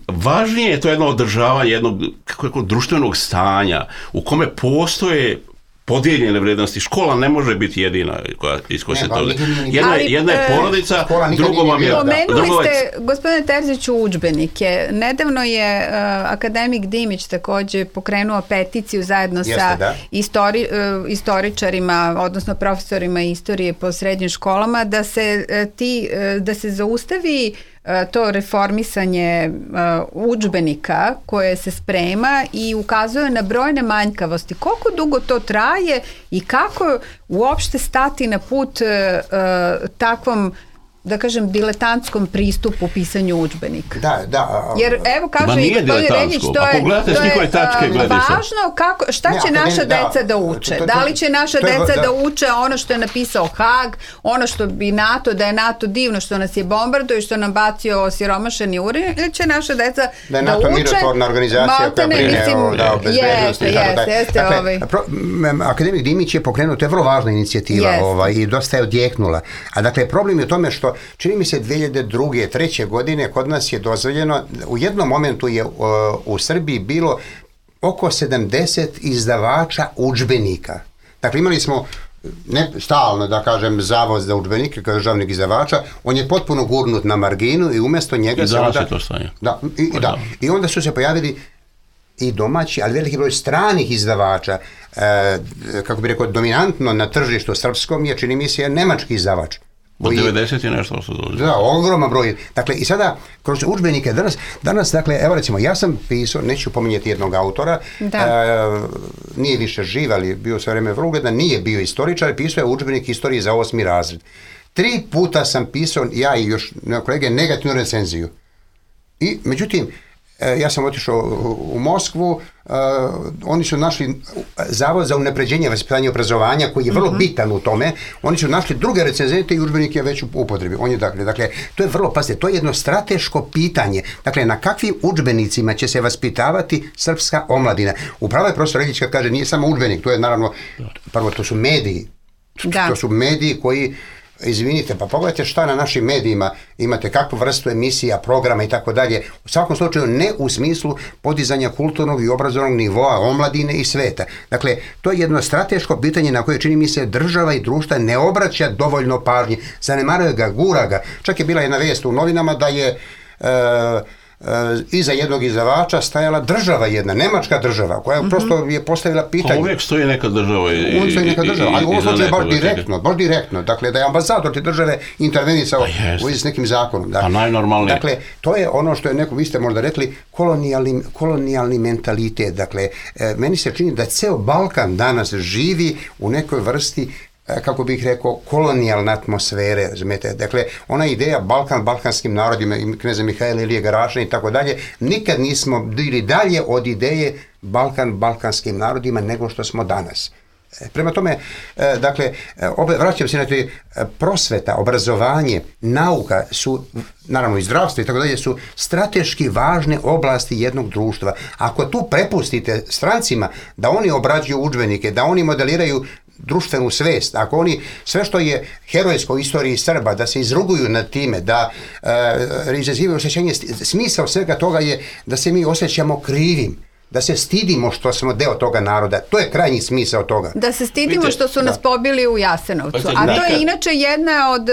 važnije je to jedno održavanje jednog kako, kako, društvenog stanja u kome postoje podijeljene vrijednosti. Škola ne može biti jedina koja iz koje se to... Jedna, jedna je porodica, drugo vam je... Pomenuli ste, gospodine Terziću, udžbenike. Nedavno je uh, akademik Dimić također pokrenuo peticiju zajedno Jeste, sa da. istori, uh, istoričarima, odnosno profesorima istorije po srednjim školama, da se, uh, ti, uh, da se zaustavi to reformisanje uh, udžbenika koje se sprema i ukazuje na brojne manjkavosti. Koliko dugo to traje i kako uopšte stati na put uh, uh, takvom, da kažem, diletantskom pristupu pisanju udžbenika. Da, da. Jer evo kaže i gospodin Reljić, to je, to je tačke, važno kako, šta će ne, naša ne, deca da, da uče. To, to, to, da li će naša to, deca da. da uče ono što je napisao Haag, ono što bi NATO, da je NATO divno što nas je bombarduje, što nam bacio osiromašeni uran, ili će naša deca da, da NATO uče. Mirotvorna organizacija koja brine o, da, o bezbednosti. Jeste, jeste, jeste. Dakle, ovaj. pro, akademik Dimić je pokrenuo, to je vrlo važna inicijativa ovaj, i dosta je odjeknula. A dakle, problem je u tome što čini mi se dvije hiljade druge. treće godine kod nas je dozvoljeno, u jednom momentu je uh, u Srbiji bilo oko sedamdeset izdavača udžbenika. Dakle, imali smo ne stalno, da kažem, zavod za udžbenike kao državnih izdavača, on je potpuno gurnut na marginu i umjesto njega I se onda... to stanje. Da, i, i, da, i onda su se pojavili i domaći, ali veliki broj stranih izdavača, e, kako bi rekao, dominantno na tržištu srpskom je, čini mi se, nemački izdavač. Od devedeset i nešto su dođe. Da, ogroman broj. Dakle, i sada, kroz udžbenike danas, danas, dakle, evo recimo, ja sam pisao, neću pominjati jednog autora, e, nije više živ, ali bio sve vreme vrlo ugledan, nije bio istoričar, pisao je udžbenik istorije za osmi razred. Tri puta sam pisao, ja i još kolege, negativnu recenziju. I, međutim, ja sam otišao u Moskvu, uh, oni su našli zavod za unapređenje vaspitanja i obrazovanja koji je vrlo uh-huh. bitan u tome, oni su našli druge recenzente i udžbenike već u upotrebi. On je dakle, dakle, to je vrlo, pazite, to je jedno strateško pitanje. Dakle, na kakvim udžbenicima će se vaspitavati srpska omladina? Upravo je profesor Reljić kad kaže, nije samo udžbenik, to je naravno, prvo to su mediji. Da. To su mediji koji, izvinite, pa pogledajte šta na našim medijima imate, kakvu vrstu emisija, programa i tako dalje. U svakom slučaju ne u smislu podizanja kulturnog i obrazovnog nivoa omladine i sveta. Dakle, to je jedno strateško pitanje na koje, čini mi se, država i društva ne obraća dovoljno pažnje. Zanemaruje ga, gura ga. Čak je bila jedna vijest u novinama da je... Uh, iza jednog izdavača stajala država jedna, nemačka država, koja mm-hmm. prosto je postavila pitanje. Pa uvijek stoji neka država. I, uvijek stoji neka država, ali u ovom slučaju baš direktno, baš direktno. Dakle, da je ambasador te države intervenisao pa u s nekim zakonom. Da. Pa najnormalnije. Dakle, to je ono što je neko, vi ste možda rekli, kolonijalni, kolonijalni mentalitet. Dakle, meni se čini da ceo Balkan danas živi u nekoj vrsti, kako bih rekao, kolonijalne atmosfere, razumijete. Dakle, ona ideja Balkan, balkanskim narodima, kneza Mihajla Ilije Garašana i tako dalje, nikad nismo bili dalje od ideje Balkan, balkanskim narodima nego što smo danas. Prema tome, dakle, vraćam se na to, prosveta, obrazovanje, nauka su, naravno i zdravstvo i tako dalje, su strateški važne oblasti jednog društva. Ako tu prepustite strancima da oni obrađuju udžbenike, da oni modeliraju društvenu svest, ako oni sve što je herojsko u istoriji Srba, da se izruguju nad time, da e, izazivaju osjećanje, smisao svega toga je da se mi osjećamo krivim, da se stidimo što smo deo toga naroda. To je krajnji smisao toga. Da se stidimo Vidite, što su nas da. pobili u Jasenovcu. A to je inače jedna od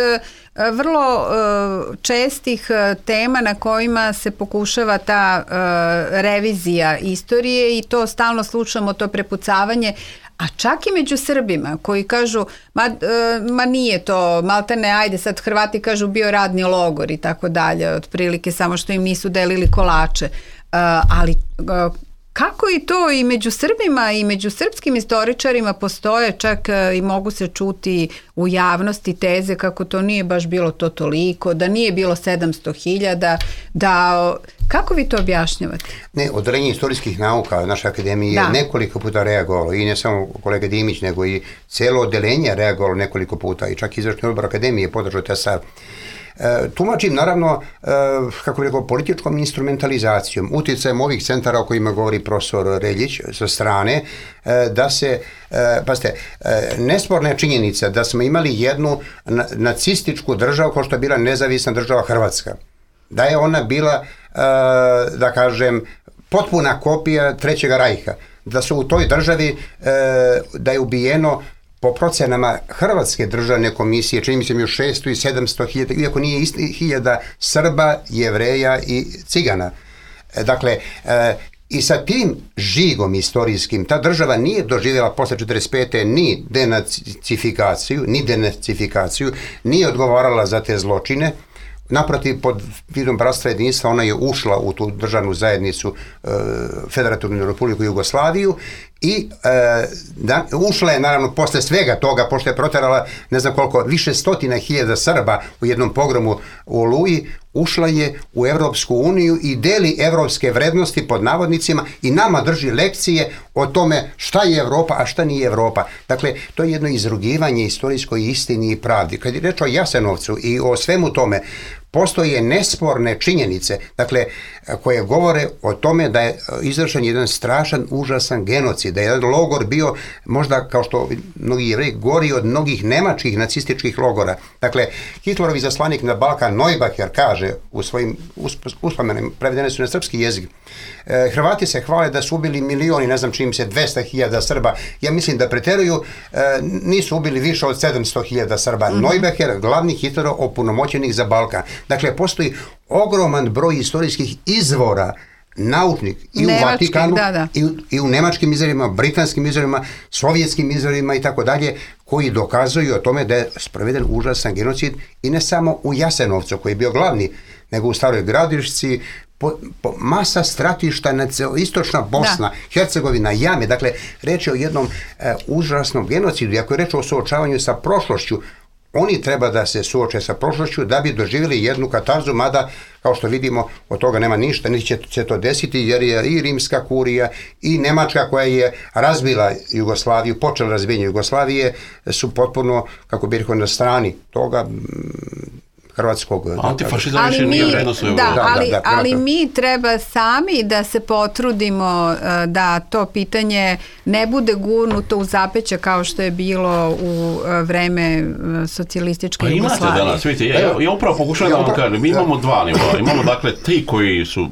vrlo uh, čestih uh, tema na kojima se pokušava ta uh, revizija istorije i to stalno slušamo, to prepucavanje. A čak i među Srbima koji kažu, ma, uh, ma nije to, maltene, ajde sad Hrvati kažu bio radni logor i tako dalje, otprilike samo što im nisu delili kolače. Uh, ali uh, kako i to i među Srbima i među srpskim istoričarima postoje čak i mogu se čuti u javnosti teze kako to nije baš bilo to toliko, da nije bilo sedamsto hiljada, da... Kako vi to objašnjavate? Ne, Odeljenje istorijskih nauka naše akademije je nekoliko puta reagovalo i ne samo kolega Dimić, nego i cijelo odeljenje reagovalo nekoliko puta i čak izvršni odbor akademije podržao taj stav. E, tumačim naravno, e, kako bih rekao, političkom instrumentalizacijom, utjecajem ovih centara o kojima govori profesor Reljić sa strane, e, da se, e, pazite, e, nesporna je činjenica da smo imali jednu na, nacističku državu kao što je bila nezavisna država Hrvatska. Da je ona bila, e, da kažem, potpuna kopija Trećega rajha. Da su u toj državi, e, da je ubijeno po procenama Hrvatske državne komisije, čini mi se mi u šesto i sedamsto hiljada, iako nije isti hiljada Srba, Jevreja i Cigana. Dakle, e, i sa tim žigom istorijskim ta država nije doživjela posle četrdeset pete ni denacifikaciju, ni denacifikaciju, nije odgovarala za te zločine. Naprotiv, pod vidom bratstva jedinstva ona je ušla u tu državnu zajednicu e, Federativnu Republiku Jugoslaviju i e, da, ušla je naravno posle svega toga, pošto je proterala ne znam koliko, više stotina hiljada Srba u jednom pogromu u Oluji, ušla je u Evropsku uniju i deli evropske vrednosti pod navodnicima i nama drži lekcije o tome šta je Evropa, a šta nije Evropa. Dakle, to je jedno izrugivanje istorijskoj istini i pravdi. Kad je reč o Jasenovcu i o svemu tome, postoje nesporne činjenice, dakle, koje govore o tome da je izvršen jedan strašan, užasan genocid, da je jedan logor bio, možda kao što mnogi Jevreji, gori od mnogih nemačkih nacističkih logora. Dakle, Hitlerov izaslanik na Balkan Neubacher kaže u svojim uspomenima, prevedene su na srpski jezik, e, Hrvati se hvale da su ubili milioni, ne znam čim se, dvesta hiljada Srba. Ja mislim da preteruju, e, nisu ubili više od sedamsto hiljada Srba. Mm-hmm. Neubacher, glavni Hitlerov opunomoćenik za Balkan. Dakle, postoji ogroman broj istorijskih izvora naučnik i Nemački, u Vatikanu, da, da. I, i u nemačkim izvorima, britanskim izvorima, sovjetskim izvorima i tako dalje, koji dokazuju o tome da je sproveden užasan genocid i ne samo u Jasenovcu, koji je bio glavni, nego u Staroj Gradišci, po, po masa stratišta, na istočna Bosna, da. Hercegovina, Jame. Dakle, reč je o jednom e, užasnom genocidu. I ako je reč o suočavanju sa prošlošću, oni treba da se suoče sa prošlošću da bi doživjeli jednu katarzu, mada, kao što vidimo, od toga nema ništa, niti će se to desiti, jer je i rimska kurija i Nemačka koja je razbila Jugoslaviju, počela razbijenje Jugoslavije, su potpuno, kako bih rekao, na strani toga hrvatskog... Antifašizam više nije vredno svoje. Da, da, ali, da, da, ali mi treba sami da se potrudimo da to pitanje ne bude gurnuto u zapeće kao što je bilo u vreme socijalističke pa Jugoslavije. Imate danas, vidite, ja, ja upravo pokušavam ja, da vam kažem, mi imamo dva nivoa. Imamo dakle ti koji su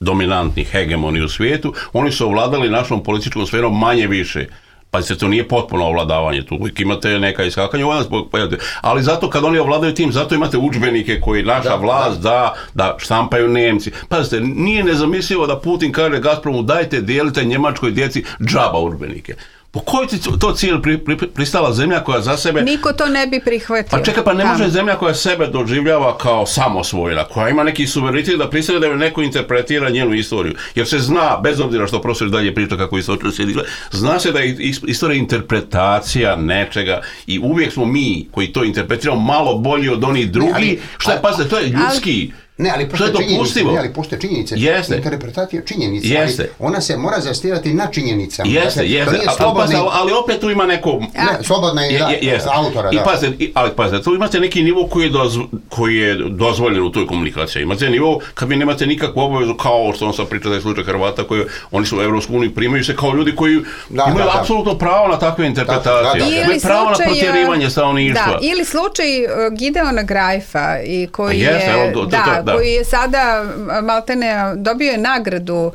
dominantni, hegemoni u svijetu, oni su ovladali našom političkom sferom manje više Pazite, to nije potpuno ovladavanje, tu uvijek imate neka iskakanja, ali zato kad oni ovladaju tim, zato imate udžbenike koji naša da, vlast da. da, da štampaju Nemci. Pazite, nije nezamislivo da Putin kaže Gazpromu dajte, dijelite Njemačkoj djeci džaba udžbenike. Po koji ti to cilj pri, pri, pristala zemlja koja za sebe... Niko to ne bi prihvatio. Pa čekaj, pa ne može zemlja koja sebe doživljava kao samosvojna, koja ima neki suverenitet da pristane da je neko interpretira njenu istoriju. Jer se zna, bez obzira što profesor dalje priča kako istorija se digla, zna se da je istorija interpretacija nečega i uvijek smo mi koji to interpretiramo malo bolji od onih drugih. Šta je, pazite, to je ljudski... Ali, Ne, ali postoje činjenice, ne, ali postoje činjenice. Jeste. Interpretacija činjenica, jeste. Ali ona se mora zastirati na činjenicama. Jeste, dakle, jeste. A, slobodni... ali, ali opet tu ima neko... Ne, slobodna je, da, je, autora, I da. Pazite, i, ali pazite, tu imate neki nivo koji je, dozv, koji je dozvoljen u toj komunikaciji. Imate nivo kad vi nemate nikakvu obavezu, kao što on sad priča da je slučaj Hrvata, koji oni su u Evropsku uniju, primaju se kao ljudi koji da, imaju da, apsolutno da. pravo na takve interpretacije. Da, da, da. Imaju pravo slučaj, na protjerivanje stanovništva. Da, ili slučaj uh, Gideona Grajfa, i koji, jeste, je, evo, to, to, da, to, da. koji je sada maltene dobio je nagradu uh,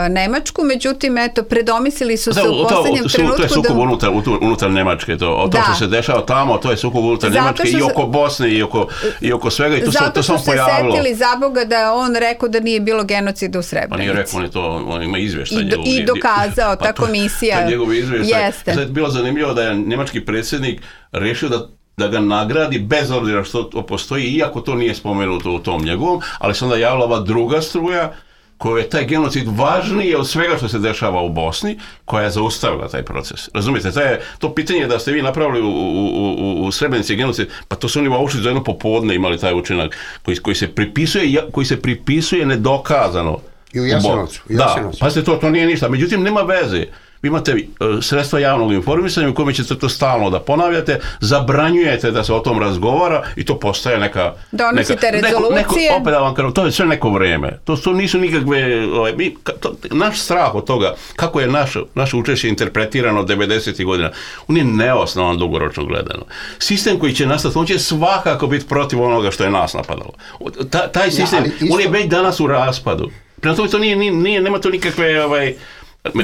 Nemačku, međutim, eto, predomislili su se da, u posljednjem to, trenutku. To je sukob da... unutar, unutar Nemačke, to, o to da. što se dešava tamo, to je sukob unutar Nemačke i oko Bosne i oko, i oko svega i to se to samo pojavilo. Zato što se setili za Boga da on rekao da nije bilo genocida u Srebrenici. Pa nije rekao, on je to, on ima izvještaj. I, do, i dokazao, pa ta komisija. To je njegov izvještaj. Jeste. Sad je bilo zanimljivo da je nemački predsjednik rešio da da ga nagradi bez obzira što to postoji, iako to nije spomenuto u tom njegovom, ali se onda javila ova druga struja koja je taj genocid važniji od svega što se dešava u Bosni, koja je zaustavila taj proces. Razumijete, to, je, to pitanje da ste vi napravili u, u, u, u Srebrenici genocid, pa to su oni u Auschwitzu za jedno popodne imali taj učinak koji, koji, se pripisuje, koji se pripisuje nedokazano. I u Jasenovcu. Da, pa to, to nije ništa. Međutim, nema veze. Vi imate uh, sredstva javnog informisanja u kome ćete to stalno da ponavljate, zabranjujete da se o tom razgovara i to postaje neka... Donosite neka, rezolucije. Neko, neko, opet da vam kažem, to je sve neko vrijeme. To, to nisu nikakve... Ovaj, mi, to, naš strah od toga, kako je naš, naše učešće interpretirano devedesetih godina, on je neosnovan dugoročno gledano. Sistem koji će nastati, on će svakako biti protiv onoga što je nas napadalo. Ta, taj sistem, ja, isto... on je već danas u raspadu. Prema tome, to nije, nije, nema to nikakve... Ovaj,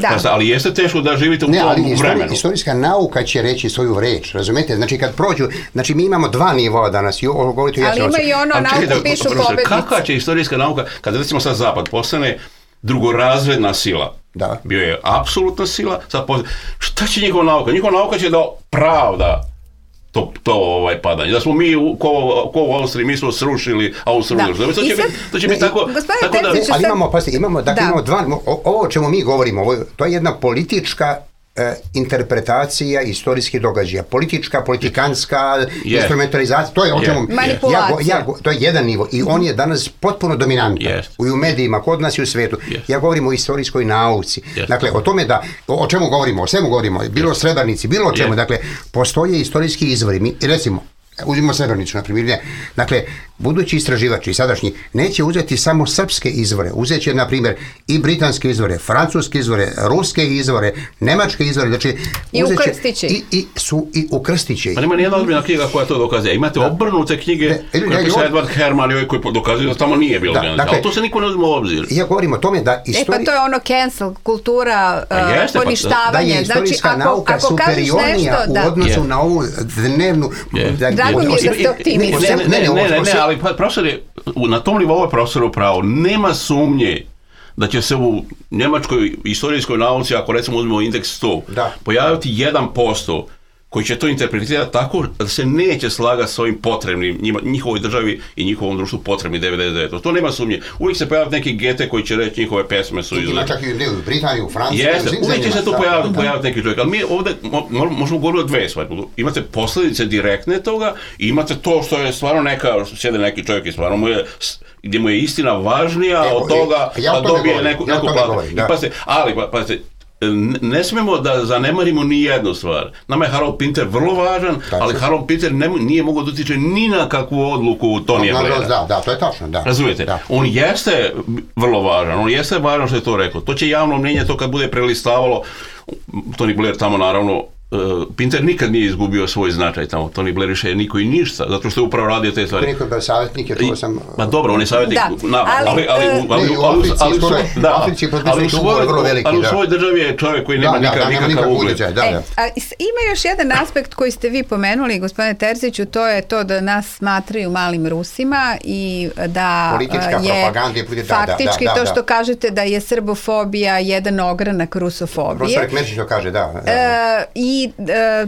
Da. Ali jeste teško da živite u ne, tom ali vremenu. Istorijska nauka će reći svoju reč, razumete? Znači kad prođu, znači mi imamo dva nivoa danas, i ovo govorite ali ima i ono nauku pišu pobednici. Kakva će istorijska nauka, kada recimo sad Zapad postane drugorazredna sila, da. Bio je apsolutna sila, sad postane, šta će njihova nauka? Njihova nauka će da pravda to, to ovaj padanje. Da smo mi, u, ko, ko u Austriji, mi smo srušili Austriju. Da. To će biti, to će biti tako... tako da, ali imamo, pasite, imamo, dakle, da. imamo dva, ovo o čemu mi govorimo, ovo, to je jedna politička e, interpretacija istorijskih događaja. Politička, politikanska, yeah. instrumentalizacija, to je o čemu... Yeah. Manipulacija. Ja, ja, to je jedan nivo i on je danas potpuno dominantan. Yes. U, u medijima, kod nas i u svijetu. Yes. Ja govorim o istorijskoj nauci. Yes. Dakle, o tome da, o, o čemu govorimo, o svemu govorimo, bilo yes. o Srebrenici, bilo o čemu. Yes. Dakle, postoje istorijski izvori. Mi, recimo, uzmimo Srebrenicu, na primjer. Dakle, budući istraživači sadašnji neće uzeti samo srpske izvore, uzet će, na primjer, i britanske izvore, francuske izvore, ruske izvore, nemačke izvore, znači i ukrstiće. I, i, su, i ukrstiće. Pa nema nijedna ozbiljna knjiga koja to dokazuje. Imate da. obrnute knjige de, koje piše Edward Herman i koji dokazuju da tamo nije bilo da, genocida, dakle, ali to se niko ne uzme u obzir. Ja govorim o tome da istorija... E pa to je ono cancel, kultura, uh, jeste, poništavanje. Da je istorijska znači, nauka ako, ako superiornija nešto, u odnosu yeah. na ovu dnevnu... Yeah. Da, Drago mi je da ste optimisti. Ne, ne, ne, ne, ne, ali profesor je, na tom nivou je profesor upravo, nema sumnje da će se u njemačkoj istorijskoj nauci, ako recimo uzmemo indeks sto, da. pojaviti jedan posto koji će to interpretirati tako da se neće slagati s ovim potrebnim, njima, njihovoj državi i njihovom društvu potrebni devedeset devet. To nema sumnje. Uvijek se pojaviti neki gete koji će reći njihove pesme su izgleda. Ima čak i u Britaniju, u Franciji. Jeste, uvijek će se tu pojaviti, pojaviti neki čovjek. Ali mi ovdje mo, možemo govoriti o dve stvari. Imate posljedice direktne toga i imate to što je stvarno neka, sjede neki čovjek i stvarno mu je, gdje mu je istina važnija Evo, od toga ja da dobije neku, ja neku platu. Ali, pa, pazite, ne smemo da zanemarimo ni jednu stvar. Nama je Harold Pinter vrlo važan, tačno. Ali Harold Pinter ne, nije mogao da utiče ni na kakvu odluku Tonija Blaira. Da, da, to je tačno, da. Razumijete? Da. On jeste vrlo važan, on jeste važan što je to rekao. To će javno mnjenje to kad bude prelistavalo, Tony Blair tamo naravno Pinter nikad nije izgubio svoj značaj tamo, Tony Blair više niko i ništa, zato što je upravo radio te stvari. Niko je bio savjetnik, je to sam... Ma dobro, on je savjetnik nama, ali ali u svojoj državi je čovjek koji nema nikakav ugled. Ima još jedan aspekt koji ste vi pomenuli, gospodine Terziću, to je to da nas smatraju malim Rusima i da je faktički to što kažete da je srbofobija jedan ogranak rusofobije. Profesor Kmerčić to kaže, da. I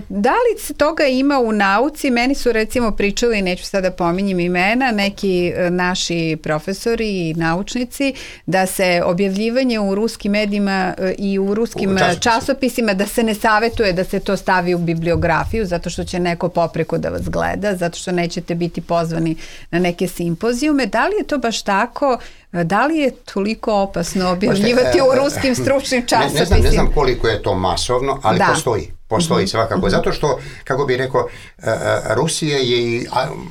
da li se toga ima u nauci? Meni su recimo pričali, neću sada pominjem imena, neki naši profesori i naučnici, da se objavljivanje u ruskim medijima i u ruskim u časopisima. časopisima, da se ne savjetuje da se to stavi u bibliografiju, zato što će neko popreko da vas gleda, zato što nećete biti pozvani na neke simpozijume. Da li je to baš tako? Da li je toliko opasno objavljivati u ruskim stručnim časopisima? Ne, ne, znam, ne znam koliko je to masovno, ali da. postoji. Postoji mm-hmm. svakako. Mm-hmm. Zato što, kako bih rekao, Rusija je i...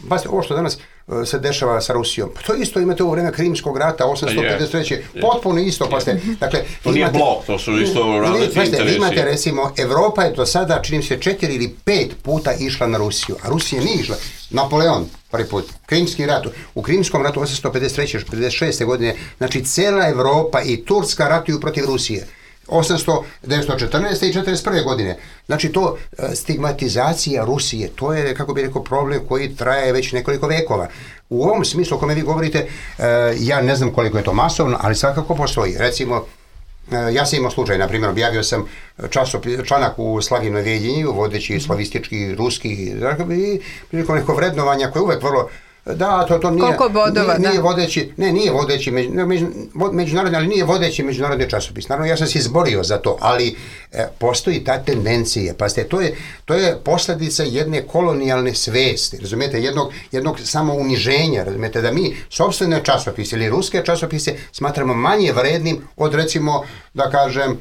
Pazite, ovo što danas se dešava sa Rusijom, to isto imate u vreme Krimskog rata, osamsto pedeset treće Yeah. Potpuno isto. Pazite, mm-hmm. dakle, to nije blok, to su isto različite interesi. Imate, recimo, Evropa je do sada, činim se, četiri ili pet puta išla na Rusiju, a Rusija nije išla. Napoleon, prvi put, Krimski rat, u Krimskom ratu osamsto pedeset treće pedeset šeste godine, znači cela Evropa i Turska ratuju protiv Rusije. osamsto, devetsto četrnaeste i četrdeset prve godine. Znači to stigmatizacija Rusije, to je, kako bih rekao, problem koji traje već nekoliko vekova. U ovom smislu o kome vi govorite, ja ne znam koliko je to masovno, ali svakako postoji. Recimo, ja sam imao slučaj, na primjer, objavio sam članak u Slavinoj Vjedinju, vodeći slavistički, ruski, i prilikom neko vrednovanja koje je uvek vrlo... Da, to, to nije, Koliko bodova, nije, nije da. vodeći, ne, nije vodeći među, među, međunarodni, ali nije vodeći međunarodni časopis. Naravno, ja sam se izborio za to, ali e, postoji ta tendencija. Pazite, to je, to je posljedica jedne kolonijalne svesti, razumijete, jednog, jednog samouniženja, razumijete, da mi sopstvene časopise ili ruske časopise smatramo manje vrednim od, recimo, da kažem,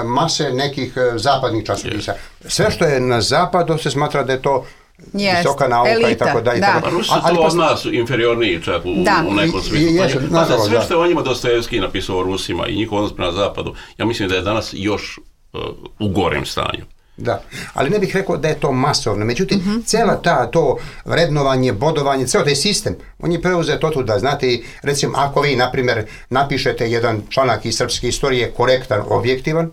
mase nekih zapadnih časopisa. Sve što je na zapadu se smatra da je to Yes, visoka nauka elita, i tako dalje. Da. Rusi su ali od nas inferiorniji čak u, u nekom smislu. Pa, pa, sve što je o njima Dostojevski napisao o Rusima i njihov odnos prema zapadu, ja mislim da je danas još uh, u gorem stanju. Da, ali ne bih rekao da je to masovno. Međutim, mm-hmm. cela ta, to vrednovanje, bodovanje, ceo taj sistem, on je preuzet od tuda. Znate, recimo, ako vi, na primjer, napišete jedan članak iz srpske istorije korektan, objektivan,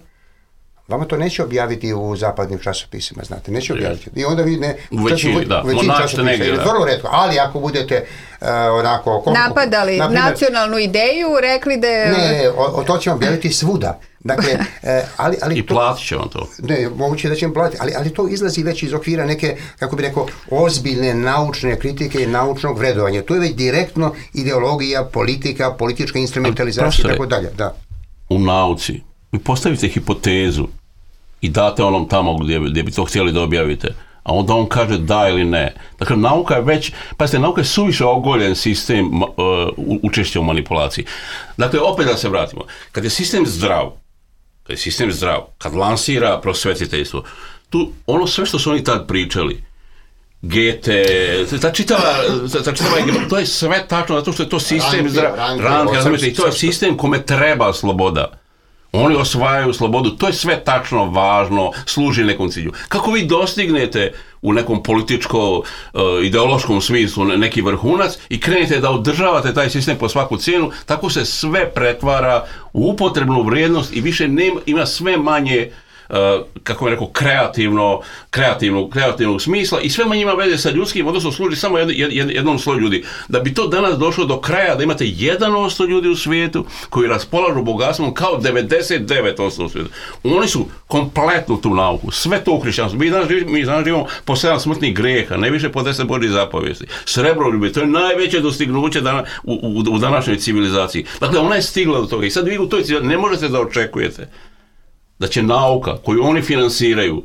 vama to neće objaviti u zapadnim časopisima, znate, neće objaviti. I onda vi ne... U većini, da. Većini časopisa, je vrlo retko. Ali ako budete uh, onako... Koliko, napadali naprimjer, nacionalnu ideju, rekli da je... Ne, o, o to ćemo objaviti svuda. Dakle, e, ali, ali I platit će on to. Ne, moguće da će vam platiti, ali, ali to izlazi već iz okvira neke, kako bi rekao, ozbiljne naučne kritike i naučnog vredovanja. To je već direktno ideologija, politika, politička instrumentalizacija i tako dalje. Da. U nauci, vi postavite hipotezu i date onom tamo gdje, gdje bi to htjeli da objavite, a onda on kaže da ili ne. Dakle, nauka je već, pazite, nauka je suviše ogoljen sistem uh, učešća u manipulaciji. Dakle, opet da se vratimo. Kad je sistem zdrav, kad je sistem zdrav, kad lansira prosvetiteljstvo, tu ono sve što su oni tad pričali, Gete, ta čitava, ta čitava, to je sve tačno, zato što je to sistem zdrav, ranke, razumijete, i to je sistem kome treba sloboda. Oni osvajaju slobodu, to je sve tačno važno, služi nekom cilju. Kako vi dostignete u nekom političko-ideološkom smislu neki vrhunac i krenete da održavate taj sistem po svaku cijenu, tako se sve pretvara u upotrebnu vrijednost i više nema, ima sve manje Uh, kako bih rekao, kreativno, kreativno, kreativnog smisla i sve manje ima veze sa ljudskim, odnosno služi samo jed, jed, jednom sloju ljudi. Da bi to danas došlo do kraja, da imate jedan posto ljudi u svijetu koji raspolažu bogatstvom kao devedeset devet posto u svijetu. Oni su kompletno tu nauku, sve to u hrišćanstvu. Mi danas živimo, mi danas živimo po sedam smrtnih greha, najviše po deset Božjih zapovijesti. Srebroljublje, to je najveće dostignuće dana, u, u, u današnjoj civilizaciji. Dakle, ona je stigla do toga i sad vi u toj civilizaciji ne možete da očekujete da će nauka koju oni finansiraju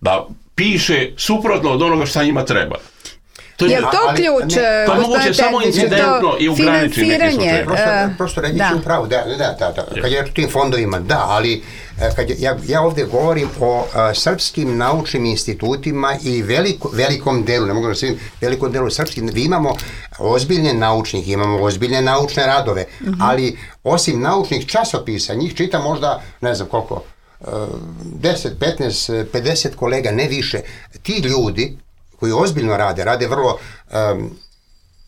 da piše suprotno od onoga šta njima treba. To je, je to ali, ključ? Ne, to je moguće samo incidentno i ograničiti neke slučaje. Prosto, prosto reći ću upravo, da, da, da, da. Kad je o tim fondovima, da, ali kad je, ja, ja ovdje govorim o a, srpskim naučnim institutima i veliko, velikom delu, ne mogu da svim, velikom delu srpskim, vi imamo ozbiljne naučnih, imamo ozbiljne naučne radove, mm-hmm. ali osim naučnih časopisa, njih čita možda, ne znam koliko, deset, petnaest, pedeset kolega, ne više. Ti ljudi koji ozbiljno rade, rade vrlo um,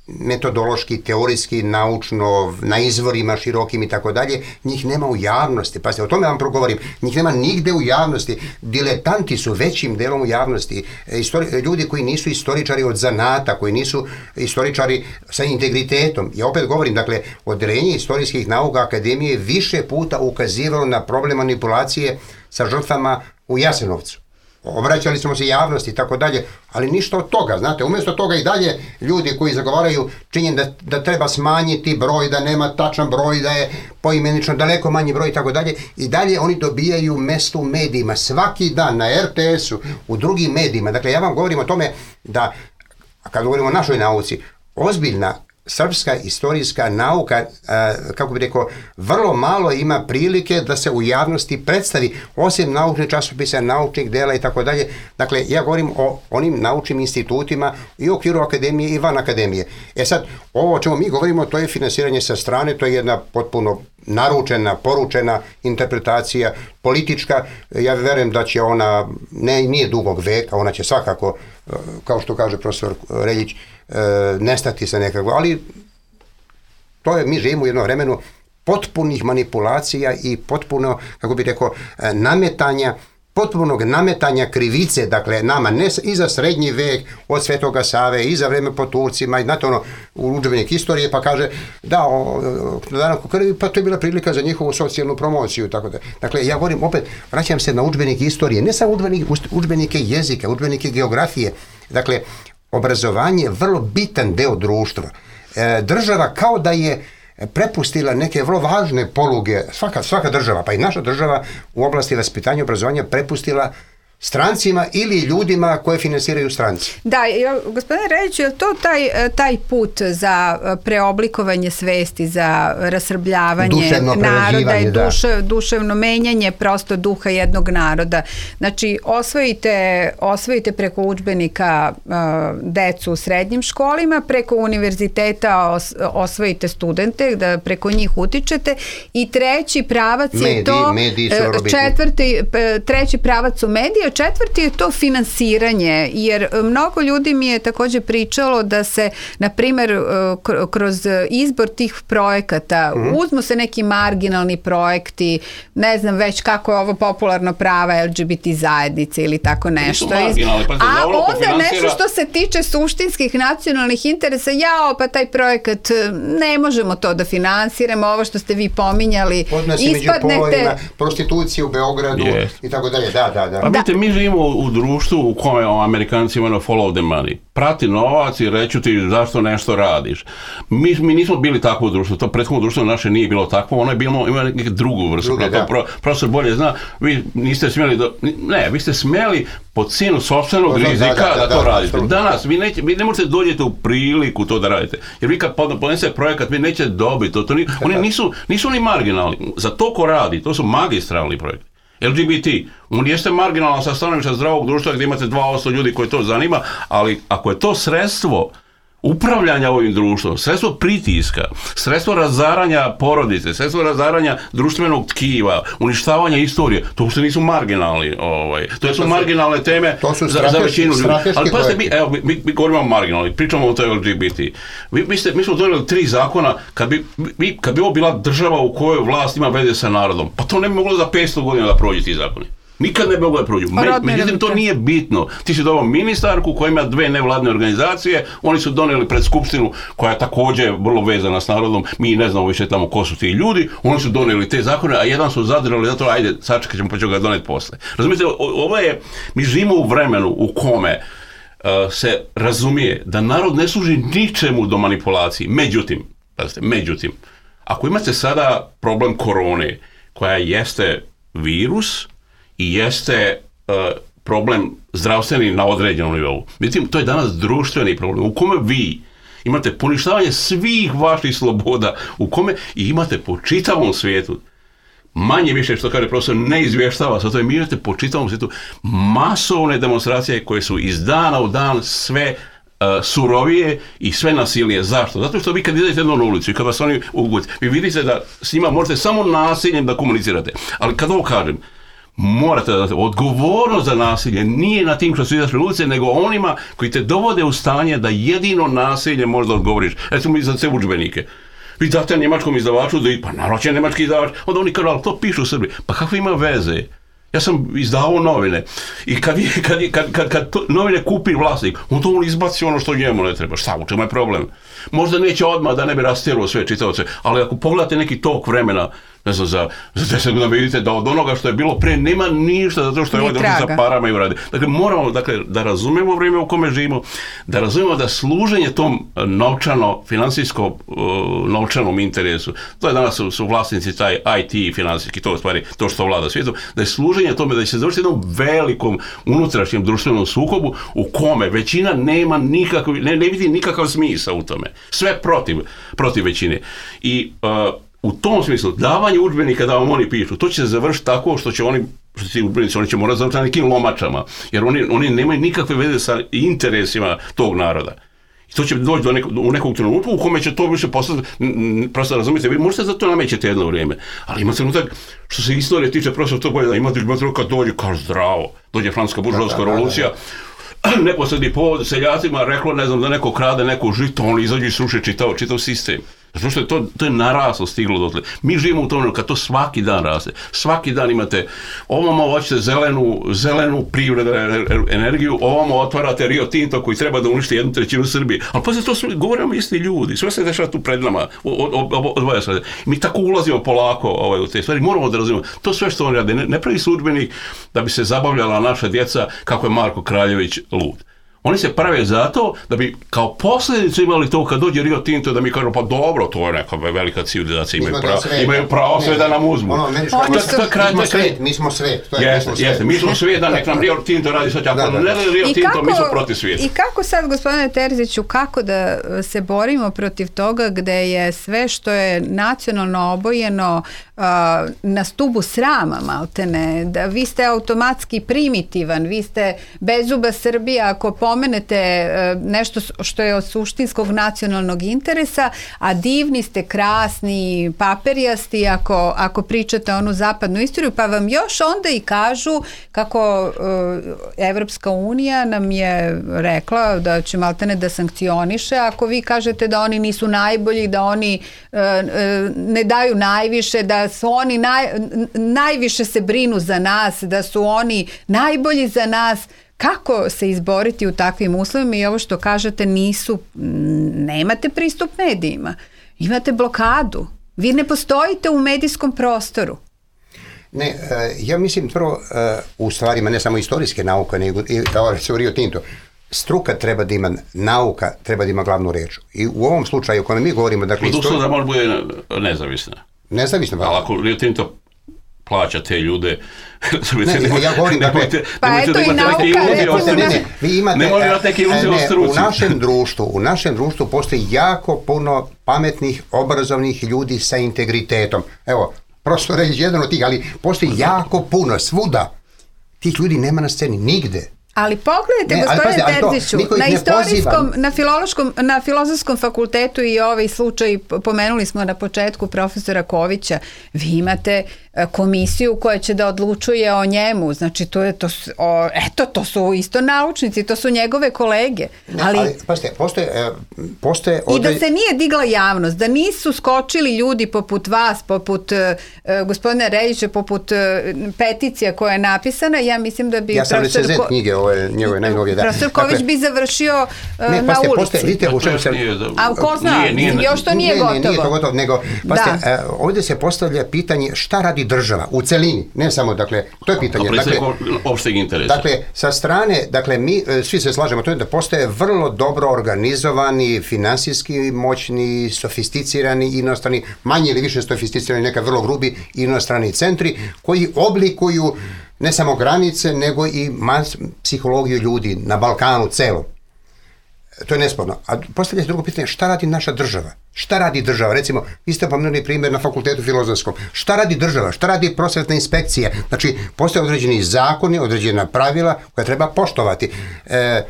metodološki, teorijski, naučno, na izvorima širokim i tako dalje, njih nema u javnosti. Pazite, o tome vam progovorim. Njih nema nigde u javnosti. Diletanti su većim delom u javnosti. Istori, ljudi koji nisu istoričari od zanata, koji nisu istoričari sa integritetom. Ja opet govorim, dakle, odeljenje istorijskih nauka Akademije više puta ukazivalo na problem manipulacije sa žrtvama u Jasenovcu. Obraćali smo se javnosti i tako dalje, ali ništa od toga, znate, umjesto toga i dalje ljudi koji zagovaraju činjen da, da treba smanjiti broj, da nema tačan broj, da je poimenično daleko manji broj i tako dalje, i dalje oni dobijaju mesto u medijima, svaki dan na er te esu, u drugim medijima. Dakle, ja vam govorim o tome da, kad govorimo o našoj nauci, ozbiljna srpska istorijska nauka, kako bi rekao, vrlo malo ima prilike da se u javnosti predstavi, osim naučnih časopisa, naučnih dela i tako dalje. Dakle, ja govorim o onim naučnim institutima i u okviru akademije i van akademije. E sad, ovo o čemu mi govorimo, to je finansiranje sa strane, to je jedna potpuno naručena, poručena interpretacija, politička. Ja verujem da će ona, ne, nije dugog veka, ona će svakako, kao što kaže profesor Reljić, nestati sa nekako, ali to je, mi živimo u jednom vremenu potpunih manipulacija i potpuno, kako bih rekao, nametanja, potpunog nametanja krivice, dakle, nama, ne i za srednji vek od Svetoga Save, i za vreme po Turcima, i znate ono, u udžbenik istorije, pa kaže, da, o, danak u krvi, pa to je bila prilika za njihovu socijalnu promociju, tako da. Dakle, ja govorim, opet, vraćam se na udžbenik istorije, ne samo udžbenik, udžbenike jezika, udžbenike geografije, dakle, obrazovanje je vrlo bitan deo društva. E, država kao da je prepustila neke vrlo važne poluge, svaka, svaka država, pa i naša država u oblasti vaspitanja i obrazovanja prepustila strancima ili ljudima koje finansiraju stranci. Da, gospodine Reljić, je to taj, taj put za preoblikovanje svesti, za rasrbljavanje naroda i duše, da. duševno menjanje prosto duha jednog naroda. Znači, osvojite, osvojite preko udžbenika uh, decu u srednjim školima, preko univerziteta os, osvojite studente, da preko njih utičete, i treći pravac mediji, je to, četvrti, treći pravac su medije, četvrti je to finansiranje, jer mnogo ljudi mi je također pričalo da se, na primjer, kroz izbor tih projekata mm-hmm. uzmu se neki marginalni projekti, ne znam već kako je ovo popularno prava el ge be te zajednice ili tako nešto. A onda nešto što se tiče suštinskih nacionalnih interesa, jao, pa taj projekat ne možemo to da finansiramo, ovo što ste vi pominjali, odnosi ispadnete... među polovima, prostitucije u Beogradu yes. i tako dalje, da, da, da. Pa vidite, mi živimo u društvu u kojem Amerikanci imaju follow the money. Prati novac i reću ti zašto nešto radiš. Mi, mi nismo bili takvo društvo, to prethodno društvo naše nije bilo takvo, ono je bilo, ima neku drugu vrstu. Pro, profesor bolje zna, vi niste smjeli, do, ne, vi ste smjeli po cijenu sopstvenog rizika da, da, da, da to radite. Danas, vi, neće, vi ne možete dođete u priliku to da radite. Jer vi kad podnese projekat, vi nećete dobiti. To, to ni, oni nisu, nisu oni marginalni. Za to ko radi, to su magistralni projekti. el ge be te, on jeste marginalan sa stanovišta zdravog društva gdje imate dva posto ljudi koji to zanima, ali ako je to sredstvo upravljanja ovim društvom, sredstvo pritiska, sredstvo razaranja porodice, sredstvo razaranja društvenog tkiva, uništavanja istorije, to uopšte nisu marginalni, ovaj, to, to su marginalne teme su za, za većinu ljudi. Ali pazite, mi, evo, mi, mi govorimo o marginalni, pričamo o toj el ge be te. Vi, vi ste, mi smo donijeli tri zakona, kad bi, vi, kad bi ovo bila država u kojoj vlast ima veze sa narodom, pa to ne bi moglo za petsto godina da prođe ti zakoni. Nikad ne bi moglo da prođu. Međutim, to nije bitno. Ti si doveo ministarku koja ima dve nevladne organizacije, oni su donijeli pred skupštinu koja je također vrlo vezana s narodom, mi ne znamo više tamo ko su ti ljudi, oni su donijeli te zakone, a jedan su zadržali, zato ajde, sačekat ćemo pa ćemo ga doneti posle. Razumijete, ovo je, mi živimo u vremenu u kome uh, se razumije da narod ne služi ničemu do manipulaciji. Međutim, pazite, međutim, ako imate sada problem korone, koja jeste virus, i jeste uh, problem zdravstveni na određenom nivou. Međutim, to je danas društveni problem u kome vi imate poništavanje svih vaših sloboda, u kome i imate po čitavom svijetu, manje više što kaže profesor, ne izvještava sa to, mi imate po čitavom svijetu masovne demonstracije koje su iz dana u dan sve uh, surovije i sve nasilnije. Zašto? Zato što vi kad idete jednom na ulicu i kad vas oni ugute, vi vidite da s njima možete samo nasiljem da komunicirate. Ali kad ovo kažem, morate da odgovornost za nasilje nije na tim što su izašli ulice, nego onima koji te dovode u stanje da jedino nasilje možda odgovoriš. Recimo i za sve udžbenike. Vi date njemačkom izdavaču da pa naravno će njemački izdavač, onda oni kažu, ali to pišu u Srbiji. Pa kakve ima veze? Ja sam izdavao novine i kad, kad, kad, kad, kad to, novine kupi vlasnik, on to on izbaci ono što njemu ne treba. Šta, u čemu je problem? Možda neće odmah da ne bi rastjerao sve čitaoce, ali ako pogledate neki tok vremena, ne znam, za, za deset godina vidite da od onoga što je bilo pre nema ništa zato što je ovaj došli sa parama i uradi. Dakle, moramo dakle, da razumemo vrijeme u kome živimo, da razumemo da služenje tom novčano, finansijsko uh, novčanom interesu, to je danas su, su vlasnici taj I T finansijski, to je stvari to što vlada svijetom, da je služenje tome da će se završiti jednom velikom unutrašnjem društvenom sukobu u kome većina nema nikakav, ne, ne vidi nikakav smisao u tome. Sve protiv, protiv većine. I uh, u tom smislu, davanje udžbenika da vam oni pišu, to će se završiti tako što će oni, što ti udžbenici, oni će morati završiti na nekim lomačama, jer oni, oni nemaju nikakve veze sa interesima tog naroda. I to će doći do nekog, u nekog trenutka u kome će to više postati, prosto razumijete, vi možete za to namećete jedno vrijeme, ali ima trenutak, što se istorije tiče, prosto to bolje da imate trenutak kad dođe, kao zdravo, dođe francuska buržovska revolucija, neposredni povod seljacima reklo, ne znam, da neko krade neko žito, oni izađu i sruše čitav, čitav sistem. Zato što je to, to je naraslo, stiglo dotle. Mi živimo u tom kad to svaki dan raste. Svaki dan imate, ovamo hoćete zelenu, zelenu privredu, energiju, ovamo otvarate Rio Tinto koji treba da uništi jednu trećinu Srbije. Ali pa se to sve, govorimo isti ljudi, sve se dešava tu pred nama. Odvaja se. Mi tako ulazimo polako ovaj, u te stvari. Moramo da razumemo. To sve što on rade, ne, ne pravi se udžbenik da bi se zabavljala naša djeca kako je Marko Kraljević lud. Oni se prave zato da bi kao posljedicu imali to kad dođe Rio Tinto da mi kažu pa dobro, to je neka velika civilizacija, imaju pravo, imaju pravo sve da nam uzmu. Ono, meni što, mi, smo kraj, svet, mi smo svet, to je jeste, mi smo jeste, mi smo svet da nek nam Rio Tinto radi sad, ako da, da, da. ne radi Rio Tinto, kako, mi smo protiv svijeta. I kako sad, gospodine Terziću, kako da se borimo protiv toga gde je sve što je nacionalno obojeno uh, na stubu srama, maltene, da vi ste automatski primitivan, vi ste bezuba Srbija, ako pomenete nešto što je od suštinskog nacionalnog interesa, a divni ste, krasni, paperijasti ako, ako pričate onu zapadnu istoriju, pa vam još onda i kažu kako uh, Evropska unija nam je rekla da će maltene da sankcioniše ako vi kažete da oni nisu najbolji, da oni uh, uh, ne daju najviše, da su oni naj, najviše se brinu za nas, da su oni najbolji za nas. Kako se izboriti u takvim uslovima i ovo što kažete nisu, nemate pristup medijima, imate blokadu, vi ne postojite u medijskom prostoru. Ne, ja mislim prvo u stvarima ne samo istorijske nauke, nego i recimo Rio Tinto. Struka treba da ima, nauka treba da ima glavnu reč. I u ovom slučaju o kojem mi govorimo... Dakle, Od uslovu da može bude nezavisna. Nezavisna. Ali ako Rio Tinto plaća te ljude. Ne, ne, ja govorim, dakle, pa eto i nauka, ne, ne, vi imate, ne, ne, u našem društvu, u našem društvu postoji jako puno pametnih, obrazovnih ljudi sa integritetom. Evo, prosto reći jedan od tih, ali postoji jako puno, svuda. Tih ljudi nema na sceni, nigde. Ali pogledajte, ne, gospodine Terziću, na istorijskom, na filološkom, na filozofskom fakultetu i ovaj slučaj, pomenuli smo na početku profesora Kovića, vi imate komisiju koja će da odlučuje o njemu, znači to je to, o, eto, to su isto naučnici, to su njegove kolege. Ali, ali pazite, postoje, postoje odre... I da se nije digla javnost, da nisu skočili ljudi poput vas, poput uh, gospodina Reljića, poput uh, peticija koja je napisana, ja mislim da bi... Ja sam recenzent Ko... knjige, ove njegove najnovije. Da. Profesor Ković dakle, bi završio uh, ne, na paste, ulici. Postoje, vidite, u čemu sam... A ko zna, nije, nije, još to nije, nije gotovo. Ne, nije to gotovo, nego, paste, uh, ovdje se postavlja pitanje šta radi država u celini, ne samo, dakle, to je pitanje. Dakle, opšteg interesa. Dakle, sa strane, dakle, mi svi se slažemo to je da postoje vrlo dobro organizovani, finansijski moćni, sofisticirani inostrani, manje ili više sofisticirani, neka vrlo grubi inostrani centri koji oblikuju ne samo granice, nego i mas, psihologiju ljudi na Balkanu celom. To je nesporno. A postavlja se drugo pitanje, šta radi naša država? Šta radi država? Recimo, vi ste pomenuli primjer na fakultetu filozofskom. Šta radi država? Šta radi prosvetna inspekcija? Znači, postoje određeni zakoni, određena pravila koja treba poštovati. E,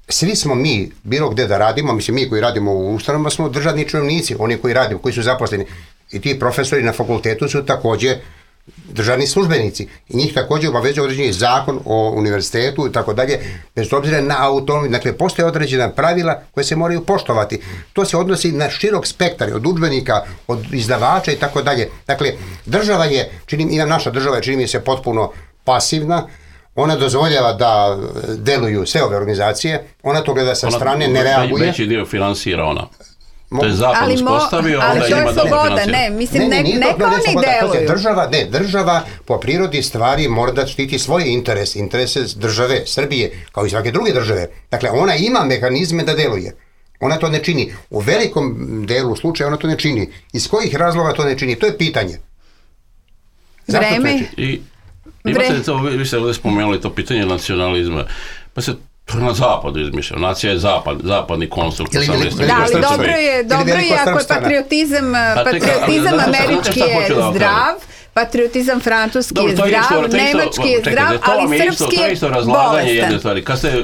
svi smo mi, bilo gde da radimo, mislim, mi koji radimo u ustanovama smo državni činovnici, oni koji radimo, koji su zaposleni. I ti profesori na fakultetu su također državni službenici i njih također obavezuje određeni zakon o univerzitetu i tako dalje, bez obzira na autonomiju. Dakle, postoje određena pravila koje se moraju poštovati. To se odnosi na širok spektar, od udžbenika, od izdavača i tako dalje. Dakle, država je, čini, i naša država je, čini mi se, potpuno pasivna. Ona dozvoljava da deluju sve ove organizacije, ona to gleda sa ona, strane, ne reaguje. Veći dio finansira ona. To je zapad uspostavio, ali onda to je ima sloboda, ne, mislim, ne, ne, ne, neka oni deluju. Država, ne, država po prirodi stvari mora da štiti svoje interese, interese države, Srbije, kao i svake druge države. Dakle, ona ima mehanizme da deluje. Ona to ne čini. U velikom delu slučaja ona to ne čini. Iz kojih razloga to ne čini? To je pitanje. Zašto vreme? I imate to, vi ste ovdje spomenuli to pitanje nacionalizma. Pa se to je na zapadu izmišljeno. Nacija je zapad, zapadni konstrukt. Da, ali dobro je, dobro je ako je patriotizam, patriotizam američki je zdrav, patriotizam francuski je zdrav, nemački je zdrav, ali srpski je bolestan. To je isto razlaganje jedne stvari. Kad ste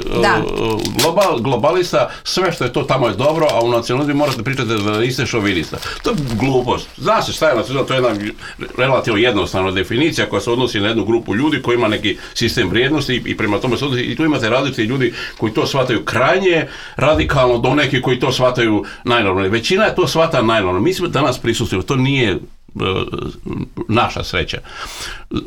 global, globalista, sve što je to tamo je dobro, a u nacionalizmu morate pričati da niste šovinista. To je glupost. Zna se šta je nacionalizam, to je jedna relativno jednostavna definicija koja se odnosi na jednu grupu ljudi koji ima neki sistem vrijednosti i prema tome se odnosi. I tu imate različiti ljudi koji to shvataju krajnje radikalno do neki koji to shvataju najnormalnije. Većina je to shvata najnormalno. Mi smo danas prisustili, to nije naša sreća.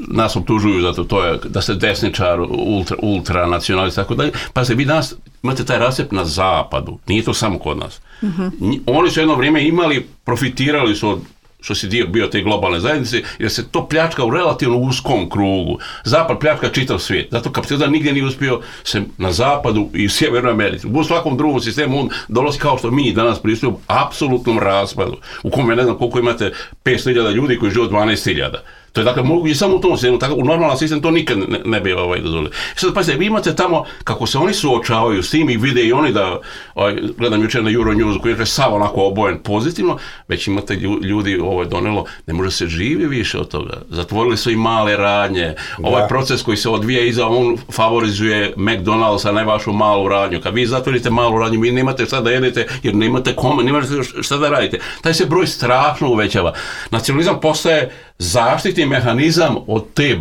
Nas optužuju zato to je da ste desničar, ultra, ultra nacionalist, tako dalje. Pa se vi danas imate taj recept na zapadu. Nije to samo kod nas. Mm-hmm. Oni su jedno vrijeme imali, profitirali su od što si dio bio te globalne zajednice, jer se to pljačka u relativno uskom krugu. Zapad pljačka čitav svijet. Zato kapitalizam nigdje nije uspio se na zapadu i u Sjevernoj Americi. U svakom drugom sistemu on dolazi kao što mi danas pristupimo apsolutnom raspadu. U kome ne znam koliko imate petsto hiljada ljudi koji žive od dvanaest hiljada. To je dakle moguće samo u tom sistemu, tako u normalan sistem to nikad ne, ne bi ovaj dozvolio. Sad pazite, vi imate tamo kako se oni suočavaju s tim i vide i oni da, ovaj, gledam jučer na Euronews koji je sav onako obojen pozitivno, već imate ljudi ovo je donelo, ne može se živi više od toga. Zatvorili su i male radnje, ovaj da. Proces koji se odvija iza, on favorizuje McDonald's, a ne vašu malu radnju. Kad vi zatvorite malu radnju, vi nemate šta da jedete jer nemate kome, nemate šta da radite. Taj se broj strašno uvećava. Nacionalizam postaje zaštitni mehanizam od te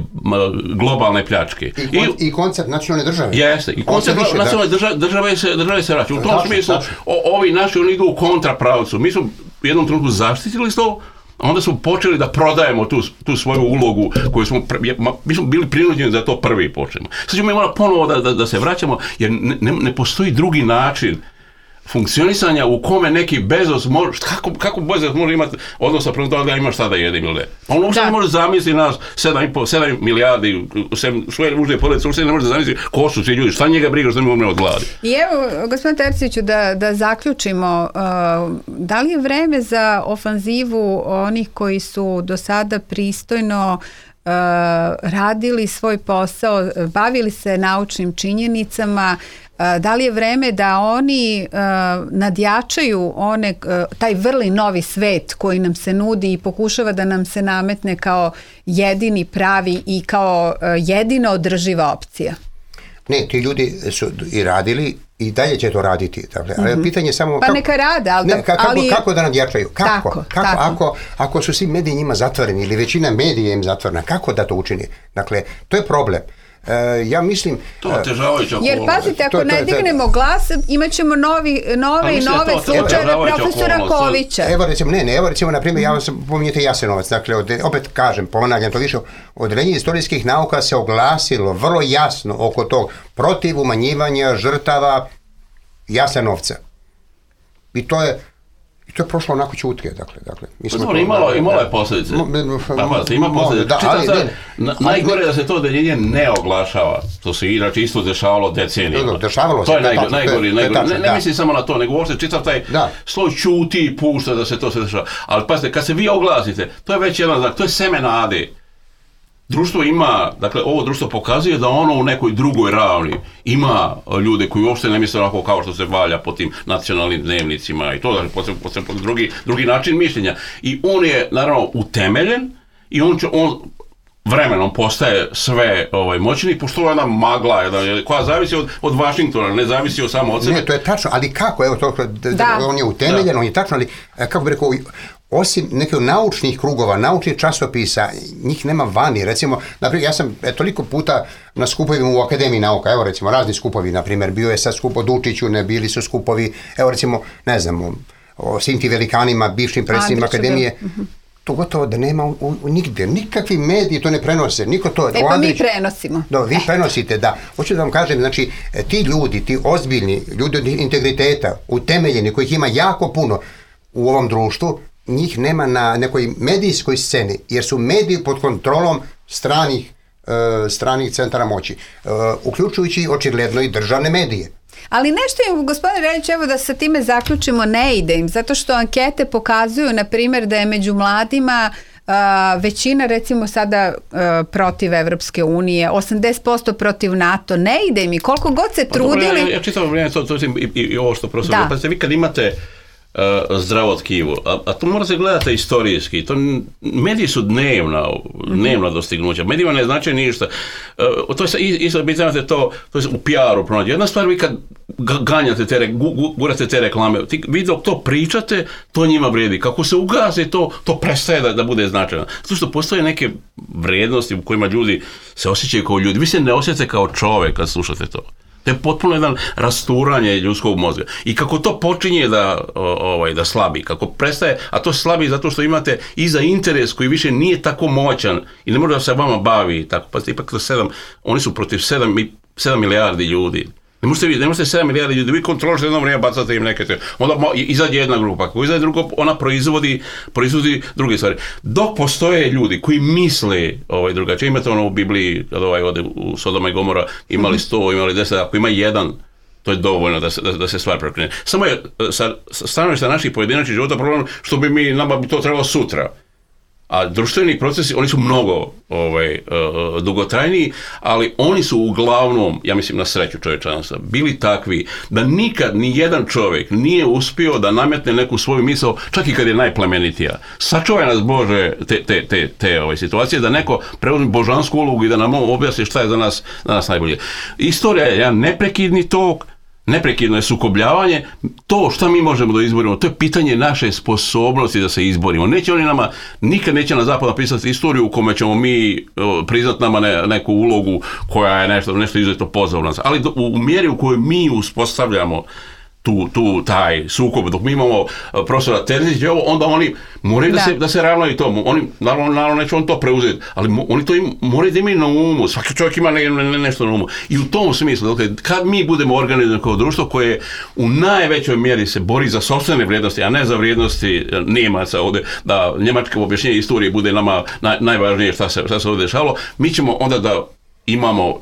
globalne pljačke. I, kon, i, i koncept nacionalne države. Jeste. I koncept više, nacionalne države, države se, države se vraća. U tom tačno, smislu, o, ovi naši, oni idu u kontrapravcu. Mi smo u jednom trenutku zaštitili to, a onda smo počeli da prodajemo tu, tu svoju ulogu koju smo, mi smo bili prinuđeni da to prvi počnemo. Sad ćemo mi morati ponovo da, da, da se vraćamo, jer ne, ne, ne postoji drugi način funkcionisanja u kome neki Bezos može, kako, kako Bezos može imati odnosa prema toga da ima šta da jedim ili ne. On uopšte ne može zamisliti nas sedam milijardi, svoje mužne porodice, uopšte ne može zamisliti ko su svi ljudi, šta njega briga što ne umre od gladi. I evo, gospodin Terziću, da, da zaključimo, uh, da li je vreme za ofanzivu onih koji su do sada pristojno Uh, radili svoj posao, bavili se naučnim činjenicama, uh, da li je vreme da oni uh, nadjačaju one, uh, taj vrli novi svet koji nam se nudi i pokušava da nam se nametne kao jedini pravi i kao uh, jedina održiva opcija? Ne, ti ljudi su i radili i dalje će to raditi. Dakle, ali mm-hmm. pitanje je samo... Pa kako, neka rade, ali... Ne, kako, ali... kako da nadjačaju? Kako? Tako, kako tako. Ako, ako su svi mediji njima zatvoreni ili većina medija im zatvorena, kako da to učini? Dakle, to je problem. Uh, ja mislim... To je otežavajuća okolnost. Jer pazite, ako to, to, ne dignemo to, glas, imat ćemo novi, nove i nove slučajeve profesora Kovića. Evo recimo, ne, ne, evo recimo, na primjer, ja vam sam, pominjete Jasenovac, dakle, od, opet kažem, ponavljam to više, Odeljenje istorijskih nauka se oglasilo vrlo jasno oko tog protiv umanjivanja žrtava Jasenovca. I to je I to je prošlo onako čutke, dakle, dakle. Mi smo to, imalo, imalo je posljedice. Pa, ima posljedice. Da, ali, sad, na, najgore je da se to odeljenje ne oglašava. To se inače isto dešavalo decenijama. Da, dešavalo se. To je najgore. najgori, najgori. Ne, ne mislim samo na to, nego uopšte čitav taj da. sloj čuti i pušta da se to se dešava. Ali pazite, kad se vi oglasite, to je već jedan znak, to je seme nade. Društvo ima, dakle, ovo društvo pokazuje da ono u nekoj drugoj ravni ima ljude koji uopšte ne misle onako kao što se valja po tim nacionalnim dnevnicima i to, dakle, posebno, posebno drugi, drugi način mišljenja. I on je, naravno, utemeljen i on će, on vremenom postaje sve ovaj, moćni, pošto je jedna magla, jedna, koja zavisi od, od Vašingtona, ne zavisi od samo od sebe. Ne, to je tačno, ali kako, evo to, da, on je utemeljen, da. on je tačno, ali kako bi rekao, osim nekih naučnih krugova, naučnih časopisa, njih nema vani. Recimo, naprimjer, ja sam e, toliko puta na skupovima u Akademiji nauka, evo recimo, razni skupovi, naprimjer, bio je sad skup o Dučiću, ne bili su skupovi, evo recimo, ne znam, o, o svim ti velikanima, bivšim predsjednicima Akademije, uh-huh. to gotovo da nema u, u, nigde, nikakvi mediji to ne prenose, niko to... E pa Andrić, mi prenosimo. Da, vi prenosite, da. Hoću da vam kažem, znači, ti ljudi, ti ozbiljni, ljudi od integriteta, utemeljeni, kojih ima jako puno u ovom društvu, njih nema na nekoj medijskoj sceni, jer su mediji pod kontrolom stranih, uh, stranih centara moći, uh, uključujući očigledno i državne medije. Ali nešto je, gospodine Reljić, evo da sa time zaključimo, ne ide im, zato što ankete pokazuju, na primjer, da je među mladima uh, većina, recimo sada uh, protiv Evropske unije, osamdeset posto protiv NATO, ne ide im i koliko god se trudili... Pa, dobro, ja, ja čitamo vrijeme, to, to i, i, i ovo što profesor, pa ste vi kad imate Uh, zdravo tkivo, a, a to morate gledati istorijski, to mediji su dnevna, dnevna dostignuća, medijima ne znači ništa, uh, to je isto, vi znate to, to je u P R-u pronađe. Jedna stvar, vi kad ganjate te, gu, gurate te reklame, vi dok to pričate, to njima vrijedi, kako se ugase to, to prestaje da, da bude značajno, zato što postoje neke vrijednosti u kojima ljudi se osjećaju kao ljudi, vi se ne osjećate kao čovjek kad slušate to. To je potpuno jedan rasturanje ljudskog mozga. I kako to počinje da, ovaj, da slabi, kako prestaje, a to slabi zato što imate iza interes koji više nije tako moćan i ne može da se vama bavi tako. Pa ste ipak to sedam, oni su protiv sedam, sedam milijardi ljudi. Ne možete, ne možete sedam milijardi ljudi, vi kontrolište jedno vrijeme, bacate im neke te, onda izađe jedna grupa, ako izađe drugo, ona proizvodi, proizvodi druge stvari. Dok postoje ljudi koji misle ovaj, drugačije, imate ono u Bibliji, kad ovaj ode u Sodoma i Gomora, imali sto, imali deset, ako ima jedan, to je dovoljno da se, da, da se stvar prekrene. Samo je sa stanovišta naših pojedinačnih života problem što bi mi, nama bi to trebalo sutra. A društveni procesi, oni su mnogo ovaj, uh, dugotrajniji, ali oni su uglavnom, ja mislim na sreću čovječanstva, bili takvi da nikad ni jedan čovjek nije uspio da nametne neku svoju misao, čak i kad je najplemenitija. Sačuvaj nas Bože te, te, te, te ove situacije, da neko preuzme božansku ulogu i da nam objasni šta je za nas, za nas najbolje. Istorija je jedan neprekidni tok, neprekidno je sukobljavanje, to šta mi možemo da izborimo, to je pitanje naše sposobnosti da se izborimo. Neće oni nama, nikad neće na zapad napisati istoriju u kome ćemo mi priznati nama ne, neku ulogu koja je nešto, nešto izuzetno pozorna. Ali do, u mjeri u kojoj mi uspostavljamo tu, tu taj sukob, dok mi imamo profesora Terzića, onda oni moraju da, da se, da se ravnaju tomu. Oni, naravno, naravno neće on to preuzeti, ali mo, oni to im, moraju da imaju na umu. Svaki čovjek ima ne, ne, nešto na umu. I u tom smislu, dakle, kad mi budemo organizovani kao društvo koje u najvećoj mjeri se bori za sopstvene vrijednosti, a ne za vrijednosti Nemaca ovdje, da njemačko objašnjenje istorije bude nama naj, najvažnije šta se, šta se ovdje dešavalo, mi ćemo onda da imamo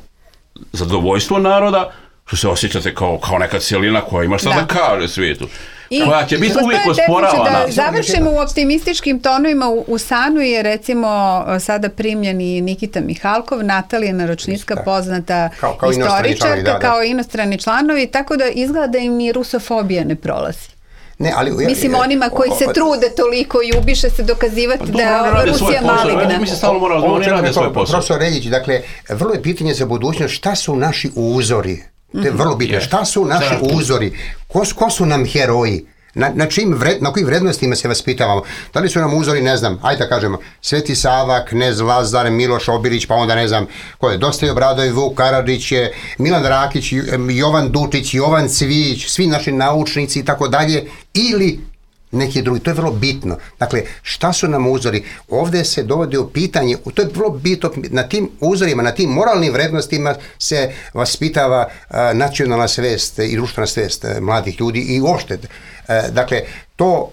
zadovoljstvo naroda, što se osjećate kao, kao neka cijelina koja ima šta da, da kaže svijetu. I, koja će biti uvijek osporavana. Da završimo u optimističkim tonovima, u, u Sanu je recimo sada primljen i Nikita Mihalkov, Natalija Naročnicka, poznata kao, kao istoričarka, da, da. kao inostrani članovi, tako da izgleda da im ni rusofobija ne prolazi. Ne, ali, mislim ja, onima koji se trude toliko i ubiše se dokazivati pa, da je Rusija maligna. Mi se stalno moramo, oni rade svoj posao. Profesor Reljić, dakle, vrlo je pitanje za budućnost, šta su naši uzori? To je vrlo bitno. Šta su naši uzori? Ko, ko su nam heroji? Na, na, čim vred, na kojim vrednostima se vaspitavamo? Da li su nam uzori, ne znam, ajde da kažemo, Sveti Sava, Knez Lazar, Miloš Obilić, pa onda ne znam, ko je, Dostoj Obradović, Vuk Karadžić, Milan Rakić, Jovan Dučić, Jovan Cvijić, svi naši naučnici i tako dalje, ili neki drugi. To je vrlo bitno. Dakle, šta su nam uzori? Ovdje se dovodi u pitanje, to je vrlo bitno, na tim uzorima, na tim moralnim vrednostima se vaspitava uh, nacionalna svest i društvena svest uh, mladih ljudi i uopšte. Uh, dakle, to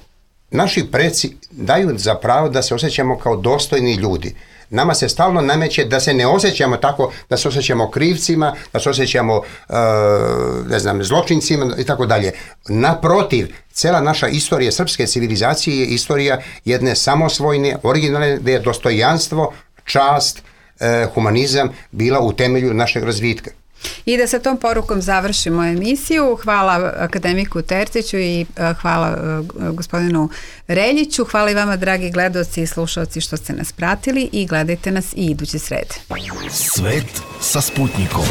naši preci daju za pravo da se osjećamo kao dostojni ljudi. Nama se stalno nameće da se ne osjećamo tako, da se osjećamo krivcima, da se osjećamo uh, ne znam, zločincima i tako dalje. Naprotiv, cela naša istorija srpske civilizacije je istorija jedne samosvojne, originalne, gdje je dostojanstvo, čast, uh, humanizam bila u temelju našeg razvitka. I da sa tom porukom završimo emisiju. Hvala akademiku Terziću i hvala gospodinu Reljiću. Hvala i vama, dragi gledaoci i slušalci, što ste nas pratili i gledajte nas i iduće srede. Svet sa Sputnikom.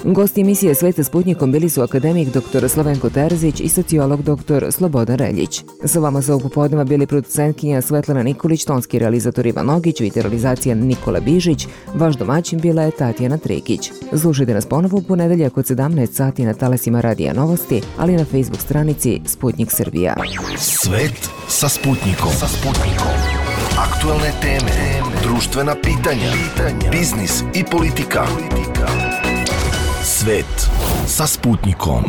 Gosti emisije Svet sa Sputnikom bili su akademik dr Slavenko Terzić i sociolog dr Slobodan Reljić. Sa vama sa ovog popodneva bili producentkinja Svetlana Nikolić, tonski realizator Ivan Ogić, realizacija Nikola Bižić, vaš domaćin bila je Tatjana Trekić. Slušajte nas ponovo u ponedeljak od sedamnaest sati na talasima Radija Novosti, ali na Facebook stranici Sputnik Srbija. Svet sa Sputnikom. Sa Sputnikom. Aktualne teme, društvena pitanja, biznis i politika. Svet sa Sputnikom.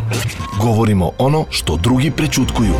Govorimo ono što drugi prećutkuju.